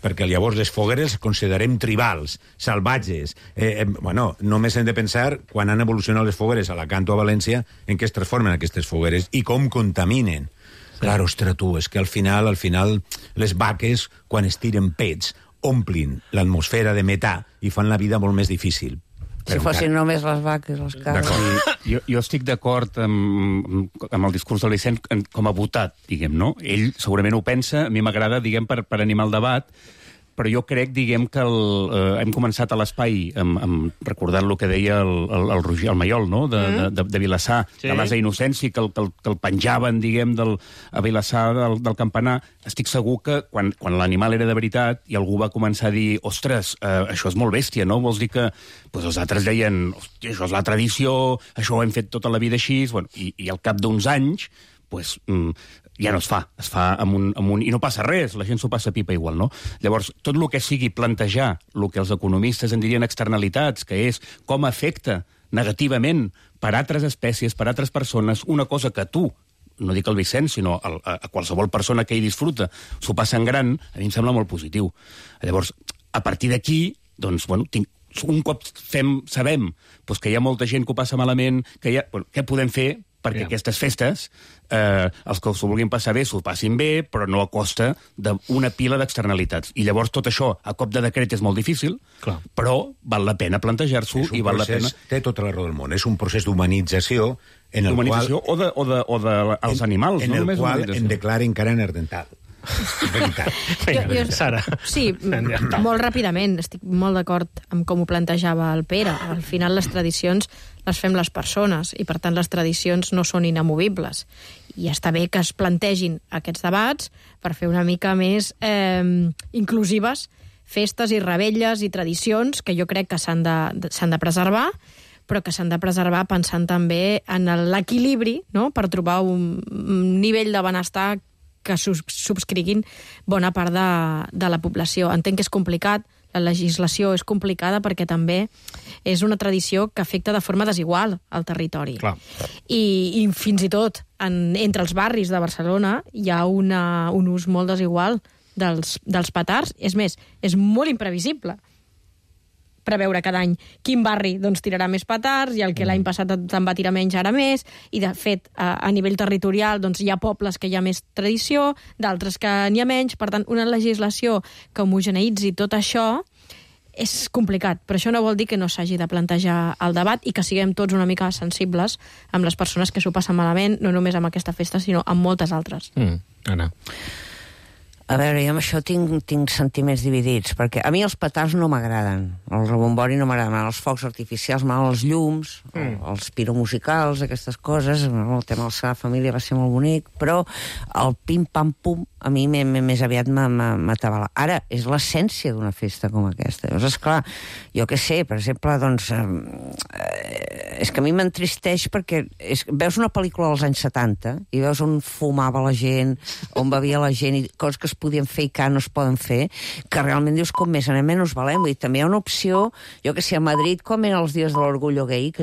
perquè llavors les fogueres les considerem tribals, salvatges. Eh, eh, bueno, només hem de pensar, quan han evolucionat les fogueres a Alacant o a València, en què es transformen aquestes fogueres i com contaminen. Sí. Clar, ostres, tu, és que al final, al final, les vaques, quan es tiren pets, omplin l'atmosfera de metà i fan la vida molt més difícil. Si fossin només les vaques, les cabres. Jo, jo estic d'acord amb, amb el discurs de l'Icent com a votat, diguem, no? Ell segurament ho pensa, a mi m'agrada, diguem, per, per animar el debat, però jo crec, diguem, que el, eh, hem començat a l'espai amb, amb recordant el que deia el, el, el Roger, el Maiol, no?, de, mm. de, de Vilassar, sí. de l'Asa Innocència, que el, que, el, que el penjaven, diguem, del, a Vilassar del, del campanar. Estic segur que quan, quan l'animal era de veritat i algú va començar a dir, ostres, eh, això és molt bèstia, no? Vols dir que pues, els altres deien, hòstia, això és la tradició, això ho hem fet tota la vida així, bueno, i, i al cap d'uns anys, pues, mm, ja no es fa, es fa amb un, amb un... I no passa res, la gent s'ho passa pipa igual, no? Llavors, tot el que sigui plantejar el que els economistes en dirien externalitats, que és com afecta negativament per altres espècies, per altres persones, una cosa que tu, no dic el Vicent, sinó a, a qualsevol persona que hi disfruta, s'ho passa en gran, a mi em sembla molt positiu. Llavors, a partir d'aquí, doncs, bueno, tinc, un cop fem, sabem doncs, que hi ha molta gent que ho passa malament, que hi ha, bueno, què podem fer perquè yeah. aquestes festes, eh, els que s'ho vulguin passar bé, s'ho passin bé, però no a costa d'una pila d'externalitats. I llavors tot això, a cop de decret, és molt difícil, Clar. però val la pena plantejar-s'ho i val procés, la pena... Té tota la raó del món. És un procés d'humanització en el qual... o de, o de, o de els en, animals. En no el qual en declara encara nerdental. Veritat. Jo, jo, Sara. Sí, molt ràpidament. Estic molt d'acord amb com ho plantejava el Pere. Al final les tradicions les fem les persones i per tant les tradicions no són inamovibles. I està bé que es plantegin aquests debats per fer una mica més eh, inclusives festes i revetlles i tradicions que jo crec que s'han de, s'han de preservar, però que s'han de preservar pensant també en l'equilibri, no?, per trobar un, un nivell de benestar que subscriguin bona part de, de la població. Entenc que és complicat, la legislació és complicada perquè també és una tradició que afecta de forma desigual al territori. Clar. I, i fins i tot en, entre els barris de Barcelona hi ha una, un ús molt desigual dels, dels petards. És més, és molt imprevisible preveure cada any quin barri doncs, tirarà més petards i el que l'any passat te'n va tirar menys ara més, i de fet a, a nivell territorial doncs, hi ha pobles que hi ha més tradició, d'altres que n'hi ha menys, per tant una legislació que homogeneïtzi tot això és complicat, però això no vol dir que no s'hagi de plantejar el debat i que siguem tots una mica sensibles amb les persones que s'ho passen malament, no només amb aquesta festa sinó amb moltes altres. Mm, Anna. A veure, jo amb això tinc, tinc sentiments dividits, perquè a mi els petards no m'agraden, el rebombori no m'agrada, els focs artificials, m'agraden els llums, mm. els piromusicals, aquestes coses, el tema de la Sagrada Família va ser molt bonic, però el pim-pam-pum a mi més aviat m'atabala. Ara, és l'essència d'una festa com aquesta. Llavors, esclar, jo què sé, per exemple, doncs, eh, és que a mi m'entristeix perquè és, veus una pel·lícula dels anys setanta i veus on fumava la gent, on bevia la gent, i coses que es podien fer i que no es poden fer, que realment dius com més anem menys valem. Vull dir, també hi ha una opció, jo que sé, a Madrid, com eren els dies de l'orgullo gay, que